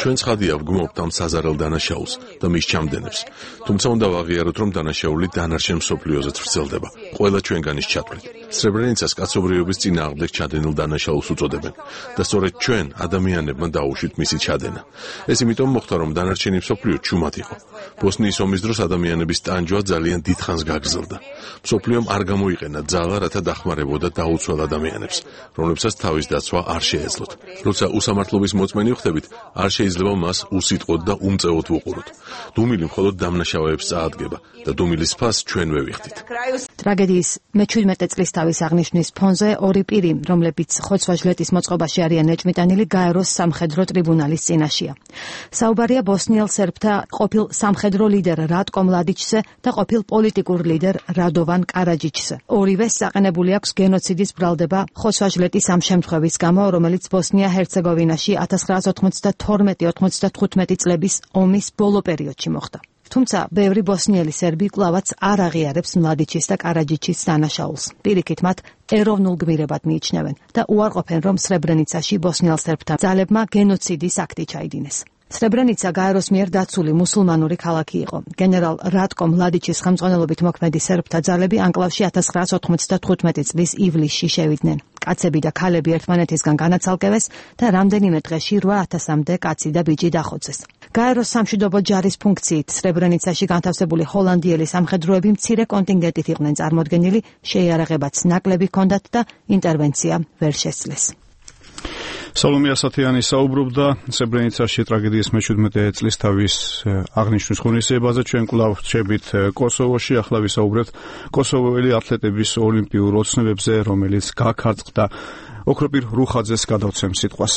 ჩვენ ცხადია ვგმობთ ამ საზარელ დანაშაულს და მის ჩამდენებს. თუმცა უნდა ვაღიაროთ, რომ დანაშაული დანარჩენ მსოფლიოზეც ვრცელდება. ყველა ჩვენგანის ჩათვლით. სრებრენიცას კაცობრიობის წინააღმდეგ ჩადენილ დანაშაულს უწოდებენ და სწორედ ჩვენ ადამიანებმა დაუშვით მისი ჩადენა. ეს იმიტომ მოხდა, რომ დანარჩენი მსოფლიო ჩუმად იყო. ბოსნიის ომის დროს ადამიანების ტანჯვა ძალიან დიდხანს გაგრძელდა. მსოფლიომ არ გამოიყენა ძალა, რათა დახმარებოდა დაუცველ ადამიანებს, რომლებსაც თავის დაცვა არ შეეძლოთ. როცა უსამართლობის მოწმენი ვხდებით, არ შეიძლება მას უსიტყვოდ და უმწეოდ ვუყუროთ. დუმილი მხოლოდ დამნაშავეებს წაადგება და დუმილის ფას ჩვენ ვევიხდით. ტრაგედიის მე-17 წლისთავის აღნიშვნის ფონზე ორი პირი, რომლებიც ხოცვა-ჟლეტის მოწყობაში არიან ეჭვმიტანილი, გაეროს სამხედრო ტრიბუნალის წინაშეა. საუბარია ბოსნიელ სერბთა ყოფილ სამხედრო ლიდერ რატკო მლადიჩზე და ყოფილ პოლიტიკურ ლიდერ რადოვან კარაჯიჩზე. ორივეს საყენებული აქვს გენოციდის ბრალდება ხოცვა-ჟლეტის ამ შემთხვევის გამო, რომელიც ბოსნია-ჰერცეგოვინაში 1992-95 წლების ომის ბოლო პერიოდში მოხდა. თუმცა ბევრი ბოსნიელი სერბი კლავაც არ აღიარებს მლადიჩის და კარაჯიჩის დანაშაულს. პირიქით მათ ეროვნულ გმირებად მიიჩნევენ და უარყოფენ, რომ სრებრენიცაში ბოსნიელ სერბთა ძალებმა გენოციდის აქტი ჩაიდინეს. სრებრენიცა გაეროს მიერ დაცული მუსულმანური ქალაქი იყო. გენერალ რატკო მლადიჩის ხელმძღვანელობით მოქმედი სერბთა ძალები ანკლავში 1995 წლის ივლისში შევიდნენ. კაცები და ქალები ერთმანეთისგან განაცალკევეს და რამდენიმე დღეში 8000-მდე კაცი და ბიჭი დახოცეს. გაეროს სამშვიდობო ჯარის ფუნქციით სრებრენიცაში განთავსებული ჰოლანდიელი სამხედროები მცირე კონტინგენტით იყვნენ წარმოდგენილი, შეიარაღებაც ნაკლები ჰქონდათ და ინტერვენცია ვერ შესძლეს. სალომე ასათიანი საუბრობდა სებრენიცაში ტრაგედიის მე-17 წლის თავის აღნიშვნის ღონისძიებაზე. ჩვენ კვლავ რჩებით კოსოვოში, ახლა ვისაუბრებთ კოსოვოელი ათლეტების ოლიმპიურ ოცნებებზე, რომელიც გაქარწყდა. ოქროპირ რუხაძეს გადავცემ სიტყვას.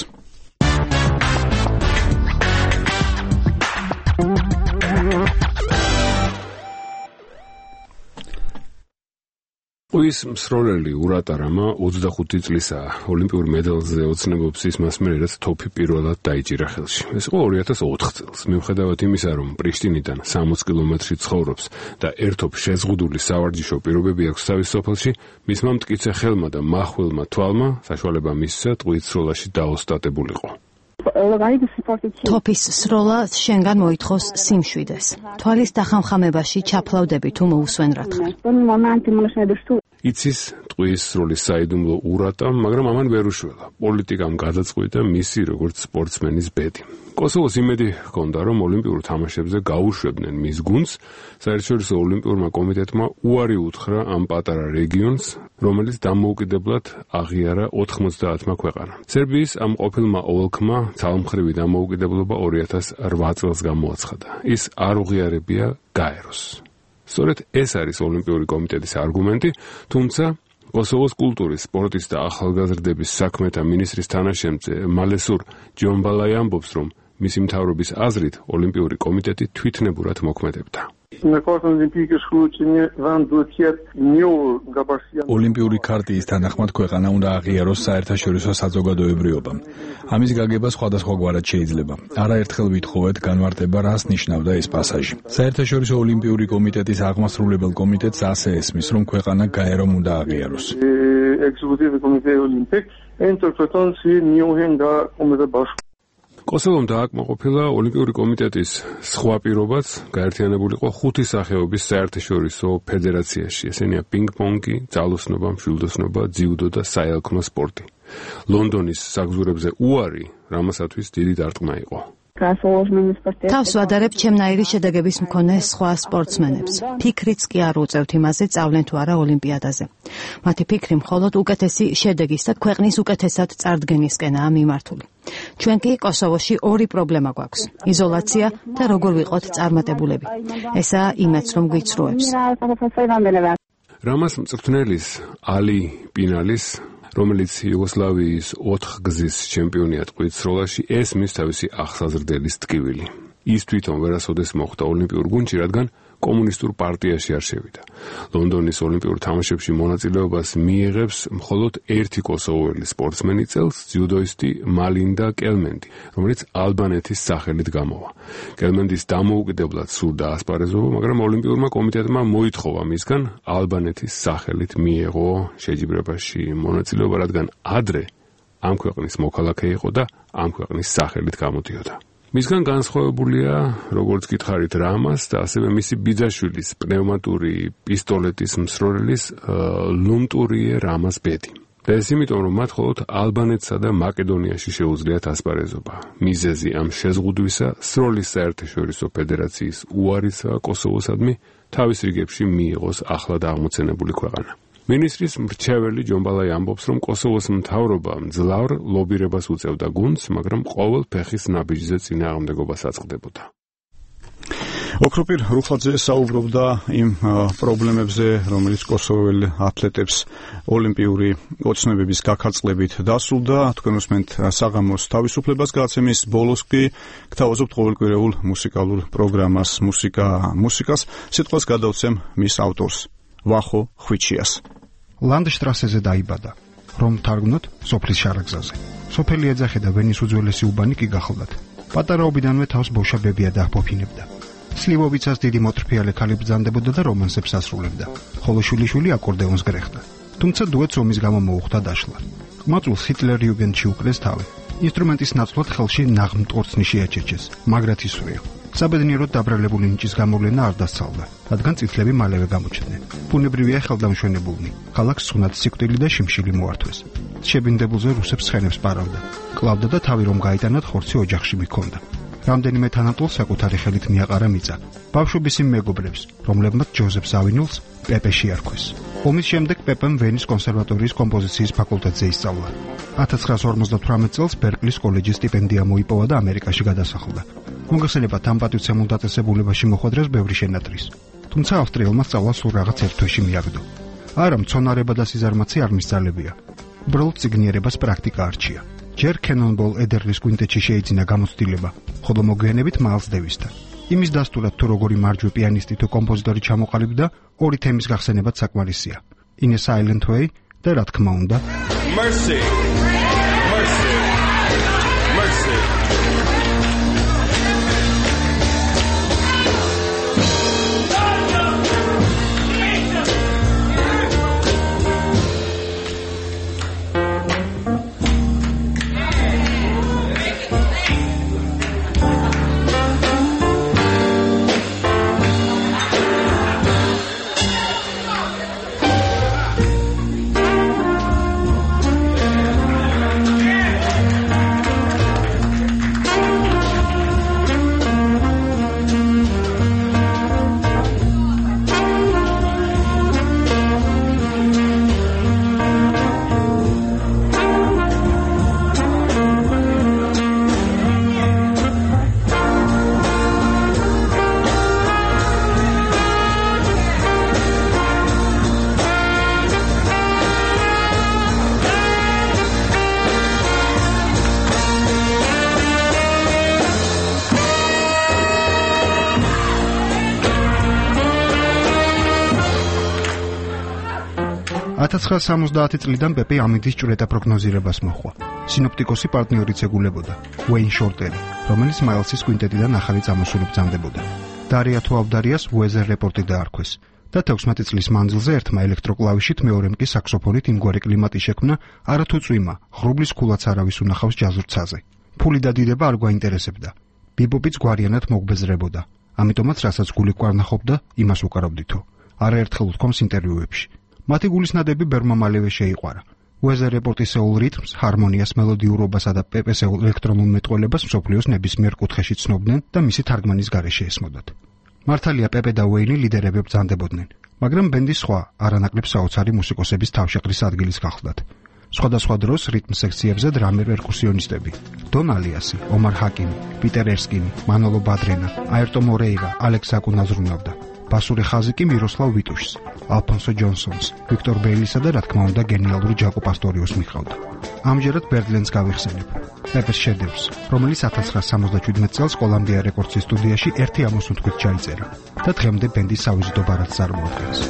ის მსროლელი ურატარამა 25 წლისაა. ოლიმპიურ მედალზე ოცნებობს ის მასმერი, რაც თოფი პირველად დაიჭირა ხელში. ეს იყო 2004 წელს. მიუხედავად იმისა, რომ პრიშტინიდან 60 კილომეტრში ცხოვრობს და ერთობ შეზღუდული სავარჯიშო პირობები აქვს თავის სოფელში, მისმა მტკიცე ხელმა და მახვილმა თვალმა საშუალება მისცა ტყვით სროლაში დაოსტატებულიყო. თოფის სროლა შენგან მოითხოვს სიმშვიდეს. თვალის დახამხამებაში ჩაფლავდები თუ მოусვენ რა თქმა. იცის ტყვის სროლის საიდუმლო ურატამ, მაგრამ ამან ვერ უშველა. პოლიტიკამ გადაწყვიტა მისი როგორც სპორტსმენის ბედი. კოსოვოს იმედი ჰქონდა, რომ ოლიმპიურ თამაშებზე გაუშვებდნენ მის გუნდს. საერთაშორისო ოლიმპიურმა კომიტეტმა უარი უთხრა ამ პატარა რეგიონს, რომელიც დამოუკიდებლად აღიარა 90-მა ქვეყანამ. სერბიის ამ ყოფილმა ოლქმა ძალმხრივი დამოუკიდებლობა 2008 წელს გამოაცხადა. ის არ უღიარებია გაეროს. სწორედ ეს არის ოლიმპიური კომიტეტის არგუმენტი, თუმცა კოსოვოს კულტურის, სპორტის და ახალგაზრდების საქმეთა მინისტრის თანაშემწე მალესურ ჯონბალაი ამბობს, რომ მისი მთავრობის აზრით ოლიმპიური კომიტეტი თვითნებურად მოქმედებდა. ოლიმპიური ქარტიის თანახმად ქვეყანა უნდა აღიაროს საერთაშორისო საზოგადოებრიობამ. ამის გაგება სხვადასხვაგვარად შეიძლება. არაერთხელ ვითხოვეთ განმარტება, რას ნიშნავდა ეს პასაჟი. საერთაშორისო ოლიმპიური კომიტეტის აღმასრულებელ კომიტეტს ასე ესმის, რომ ქვეყანა გაერომ უნდა აღიაროს. კოსოვომ დააკმაყოფილა ოლიმპიური კომიტეტის სხვა პირობაც, გაერთიანებულიყო 5 სახეობის საერთაშორისო ფედერაციაში. ესენია პინგ-პონგი, ძალოსნობა, მშვილდოსნობა, ძიუდო და საელქლო სპორტი. ლონდონის საგზურებზე უარი რამასათვის დიდი დარტყმა იყო. თავს ვადარებ ჩემნაირი შედეგების მქონე სხვა სპორტსმენებს. ფიქრიც კი არ უწევთ იმაზე, წავლენ თუ არა ოლიმპიადაზე. მათი ფიქრი მხოლოდ უკეთესი შედეგის და ქვეყნის უკეთესად წარდგენისკენაა მიმართული. ჩვენ კი კოსოვოში ორი პრობლემა გვაქვს: იზოლაცია და როგორ ვიყოთ წარმატებულები. ესაა იმეც, რომ გვიცრუებს. რამას მწვრთნელის ალი პინალის, რომელიც იუგოსლავიის 4 გზის ჩემპიონია ტყვით სროლაში, ესმის თავისი ახსაზრდელის ტკივილი. ის თვითონ ვერასოდეს მოხვდა ოლიმპიურ გუნდში, რადგან კომუნისტურ პარტიაში არ შევიდა. ლონდონის ოლიმპიურ თამაშებში მონაწილეობას მიიღებს მხოლოდ ერთი კოსოვოელი სპორტსმენი წელს, ძიუდოისტი მალინდა კელმენდი, რომელიც ალბანეთის სახელით გამოვა. კელმენდის დამოუკიდებლად სურდა ასპარეზობა, მაგრამ ოლიმპიურმა კომიტეტმა მოითხოვა მისგან ალბანეთის სახელით მიეღო შეჯიბრებაში მონაწილეობა, რადგან ადრე ამ ქვეყნის მოქალაქე იყო და ამ ქვეყნის სახელით გამოდიოდა. მისგან განსხვავებულია, როგორც გითხარით, რამას და ასევე მისი ბიძაშვილის პნევმატური პისტოლეტის მსროლელის ლუმტურიე რამას ბედი. და ეს იმიტომ, რომ მათ მხოლოდ ალბანეთსა და მაკედონიაში შეუძლიათ ასპარეზობა. მიზეზი ამ შეზღუდვისა სროლის საერთაშორისო ფედერაციის უარისა კოსოვოსადმი თავის რიგებში მიიღოს ახლად აღმოცენებული ქვეყანა. მინისტრის მრჩეველი ჯონბალაი ამბობს, რომ კოსოვოს მთავრობა მძლავრ ლობირებას უწევდა გუნდს, მაგრამ ყოველ ფეხის ნაბიჯზე წინააღმდეგობას აწყდებოდა. ოქროპირ რუხაძე საუბრობდა იმ პრობლემებზე, რომელიც კოსოვოელ ათლეტებს ოლიმპიური ოცნებების გაქარწყლებით დასრულდა. თქვენ უსმენთ საღამოს თავისუფლებას გადაცემის ბოლოს კი გთავაზობთ ყოველკვირეულ მუსიკალურ პროგრამას მუსიკას. სიტყვას გადავცემ მის ავტორს, ვახო ხვიჩიას. ლანდშტრასეზე დაიბადა, რომ თარგმნოთ სოფლის შარაგზაზე. სოფელი ეძახე და ვენის უძველესი უბანი კი გახლდათ. პატარაობიდანვე თავს ბოშა ბებია დაჰფოფინებდა. სლივოვიცას დიდი მოტრფიალე ქალი ბრძანდებოდა და რომანსებს ასრულებდა, ხოლო შვილიშვილი აკორდეონს გრეხდა. თუმცა დუეტს ომის გამო მოუხდა დაშლა. ყმაწვილს ჰიტლერ იუგენდში უკრეს თავი. ინსტრუმენტის ნაცვლად ხელში ნაღმტკორცნი შეაჩერჩეს, მაგრად ისვრია. საბედნიეროდ დაბრალებული ნიჭის გამოვლენა არ დასწავლა, რადგან წითლები მალევე გამოჩნდნენ. ბუნებრივია ხელდამშვენებულნი, ქალაქს სუნად სიკვდილი და შიმშილი მოართვეს. შებინდებულზე რუსებს ცხენებს პარავდა, კლავდა და თავი რომ გაიტანად ხორცი ოჯახში მიქონდა. რამდენიმე თანატოლს საკუთარი ხელით მიაყარა მიწა. ბავშვობის იმ მეგობრებს, რომლებმაც ჯოზეფ ზავინულს პეპე შეარქვეს. ომის შემდეგ პეპემ ვენის კონსერვატორიის კომპოზიციის ფაკულტეტზე ისწავლა. 1958 წელს ბერკლის კოლეჯის სტიპენდია მოიპოვა და ამერიკაში გადასახლდა. მოგხსენებათ, ამ პატივცემულ დაწესებულებაში მოხვედრას ბევრი შენატრის. თუმცა ავსტრიელმა სწავლა სულ რაღაც ერთ თვეში მიაგდო. არა, მცონარება და სიზარმაცე არ მისძალებია. უბრალოდ ციგნიერებას პრაქტიკა არჩია. ჯერ კენონბოლ ედერლის კვინტეტში შეიძინა გამოცდილება, ხოლო მოგვიანებით მაილს დევისთან. იმის დასტურად თუ როგორი მარჯვე პიანისტი თუ კომპოზიტორი ჩამოყალიბდა, ორი თემის გახსენებაც საკმარისია. In a Silent Way და რა თქმა უნდა Mercy. Mercy. Mercy. წლიდან პეპე ამინდის ჭვრეტა პროგნოზირებას მოჰყვა. სინოპტიკოსი პარტნიორიც ეგულებოდა, უეინ შორტერი, რომელიც მაილსის კვინტეტიდან ახალი წამოსული ბრძანდებოდა. დარია თუ ავდარიას უეზერ რეპორტი დაარქვეს და 16 წლის მანძილზე ერთმა ელექტროკლავიშით, მეორემ კი საქსოფონით იმგვარი კლიმატი შექმნა, არათუ წვიმა, ღრუბლის ქულაც არავის უნახავს ჯაზურცაზე. ფული და დიდება არ გვაინტერესებდა. ბიბოპიც გვარიანად მოგბეზრებოდა. ამიტომაც რასაც გული გვარნახობდა, იმას უკარავდითო. არაერთხელ უთქვამს ინტერვიუებში. მათი გულის ნადები ბერმა მალევე შეიყვარა. უეზერ რეპორტისეულ რიტმს, ჰარმონიას, მელოდიურობასა და პეპესეულ ელექტრონულ მეტყველებას მსოფლიოს ნებისმიერ კუთხეში ცნობდნენ და მისი თარგმანის გარეშე ესმოდათ. მართალია, პეპე და უეინი ლიდერები ბრძანდებოდნენ, მაგრამ ბენდის სხვა არანაკლებ საოცარი მუსიკოსების თავშეყრის ადგილის გახლდათ. სხვადასხვა დროს რიტმ სექციებზე დრამერ პერკუსიონისტები, დონ ალიასი, ომარ ჰაკიმი, პიტერ ერსკინი, მანოლო ბადრენა, აერტო მორეირა, ალექს აკუნა ზრუნავდა. ბასური ხაზი კი მიროსლავ ვიტუშს, ალფონსო ჯონსონს, ვიქტორ ბეილისა და რა თქმა უნდა გენიალური ჯაკო პასტორიოს მიჰყავდა. ამჯერად ბერდლენს გავიხსენებ, პეპეს შედევრს, რომელიც 1977 წელს კოლუმბია რეკორდსის სტუდიაში 1 ამოსუნ თვით ჩაიწერა და დღემდე ბენდის სავიზიტო ბარათს წარმოადგენს.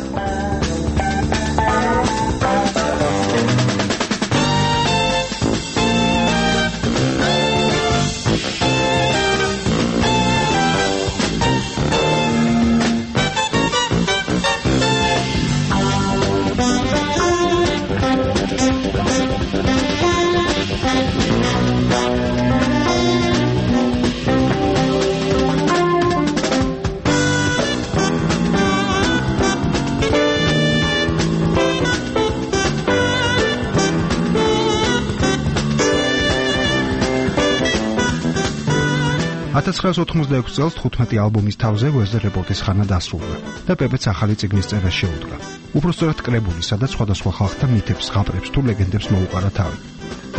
წელს 15 ალბომის თავზე უეზერ რეპორტის ხანა დასრულდა და პეპეც ახალი წიგნის წერას შეუდგა. უпростоრად კრებული, სადაც სხვადასხვა ხალხთა მითებს, ზღაპრებს თუ ლეგენდებს მოუყარა თავი.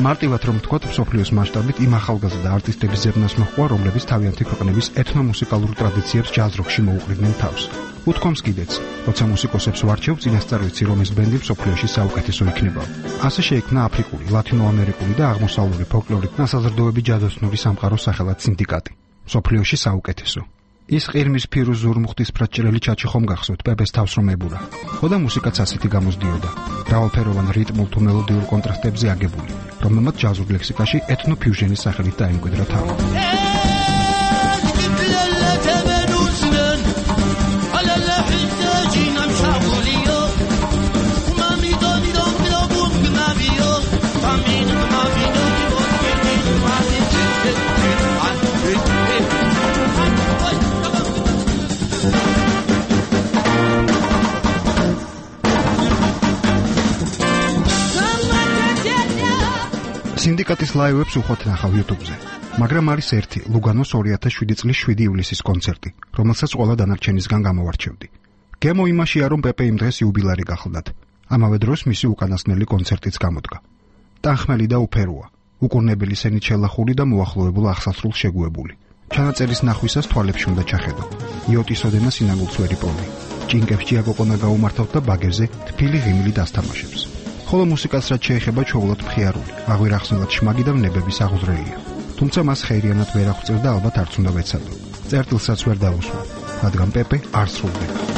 მარტივად რომ ვთქვათ, მსოფლიოს მასშტაბით იმ ახალგაზრდა არტისტების ზებნას მოჰყვა, რომლებიც თავიანთი ქვეყნების ეთნომუსიკალურ ტრადიციებს ჯაზ როკში მოუყრიდნენ თავს. უთქვამს კიდეც, როცა მუსიკოსებს ვარჩევ, წინასწარ ვიცი, რომ ეს ბენდი მსოფლიოში საუკეთესო იქნება. ასე შეიქმნა აფრიკული, ლათინოამერიკული და აღმოსავლური ფოლკლორით ნასაზრდოები ჯადოსნური სამყაროს სახელად სინდიკატი. მსოფლიოში საუკეთესო. ის ყირმის ფირუზ ზურმუხტისფრად ჭრელი ჩაჩი ხომ გახსოვთ, პეპეს თავს რომ ებურა. ხოდა მუსიკაც ასეთი გამოსდიოდა. მრავალფეროვან რიტმულ თუ მელოდიურ კონტრასტებზე აგებული, რომელმაც ჯაზურ ლექსიკაში ეთნოფიუჟენის სახელით დაემკვიდრა თავი. მუსიკატის ლაივებს უხოთ ნახავ YouTube-ზე. მაგრამ არის ერთი, ლუგანოს 2007 წლის 7 ივლისის კონცერტი, რომელსაც ყველა დანარჩენისგან გამოვარჩევდი. გემო იმაშია, რომ პეპე იმ დღეს იუბილარი გახლდათ. ამავე დროს მისი უკანასკნელი კონცერტიც გამოდგა. ტანხმელი და უფეროა, უკურნებელი სენით შელახული და მოახლოებულ აღსასრულს შეგუებული. ჩანაწერის ნახვისას თვალებში უნდა ჩახედო. იოტის ოდენა სინაგულს ვერ იპოვი. ჭინკებს ჭიაგოყონა გაუმართავთ და ბაგერზე თბილი ღიმილი დასთამაშებს. ხოლო მუსიკას რაც შეეხება ჩაულად მხიარული, აღვირახსნელად შმაგი და ნებების აღუზრელია. თუმცა მას ხეირიანად ვერ აღწევ და ალბათ არც უნდა ვეცადო. წერტილსაც ვერ დავუსვა, რადგან პეპე არ სრულდება.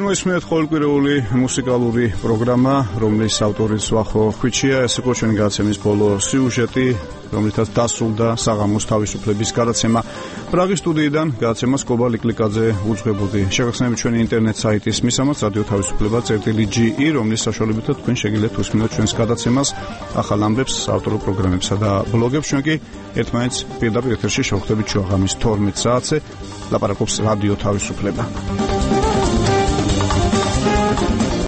მოისმენთ ყოველკვირეული მუსიკალური პროგრამა, რომლის ავტორიც ვახო ხვიჩია, ეს იყო ჩვენი გადაცემის ბოლო სიუჟეტი, რომლითაც დასრულდა საღამოს თავისუფლების გადაცემა. პრაღის სტუდიიდან გადაცემას კობა ლიკლიკაძე უძღვებოდი. შეგახსენებთ ჩვენი ინტერნეტ საიტის მისამართს რადიო თავისუფლება.ge, რომლის საშუალებითაც თქვენ შეგიძლიათ უსმინოთ ჩვენს გადაცემას, ახალ ამბებს, ავტორულ პროგრამებსა და ბლოგებს. ჩვენ კი ერთმანეთს პირდაპირ ეთერში შევხვდებით შუაღამის 12 საათზე. ლაპარაკობს რადიო თავისუფლება.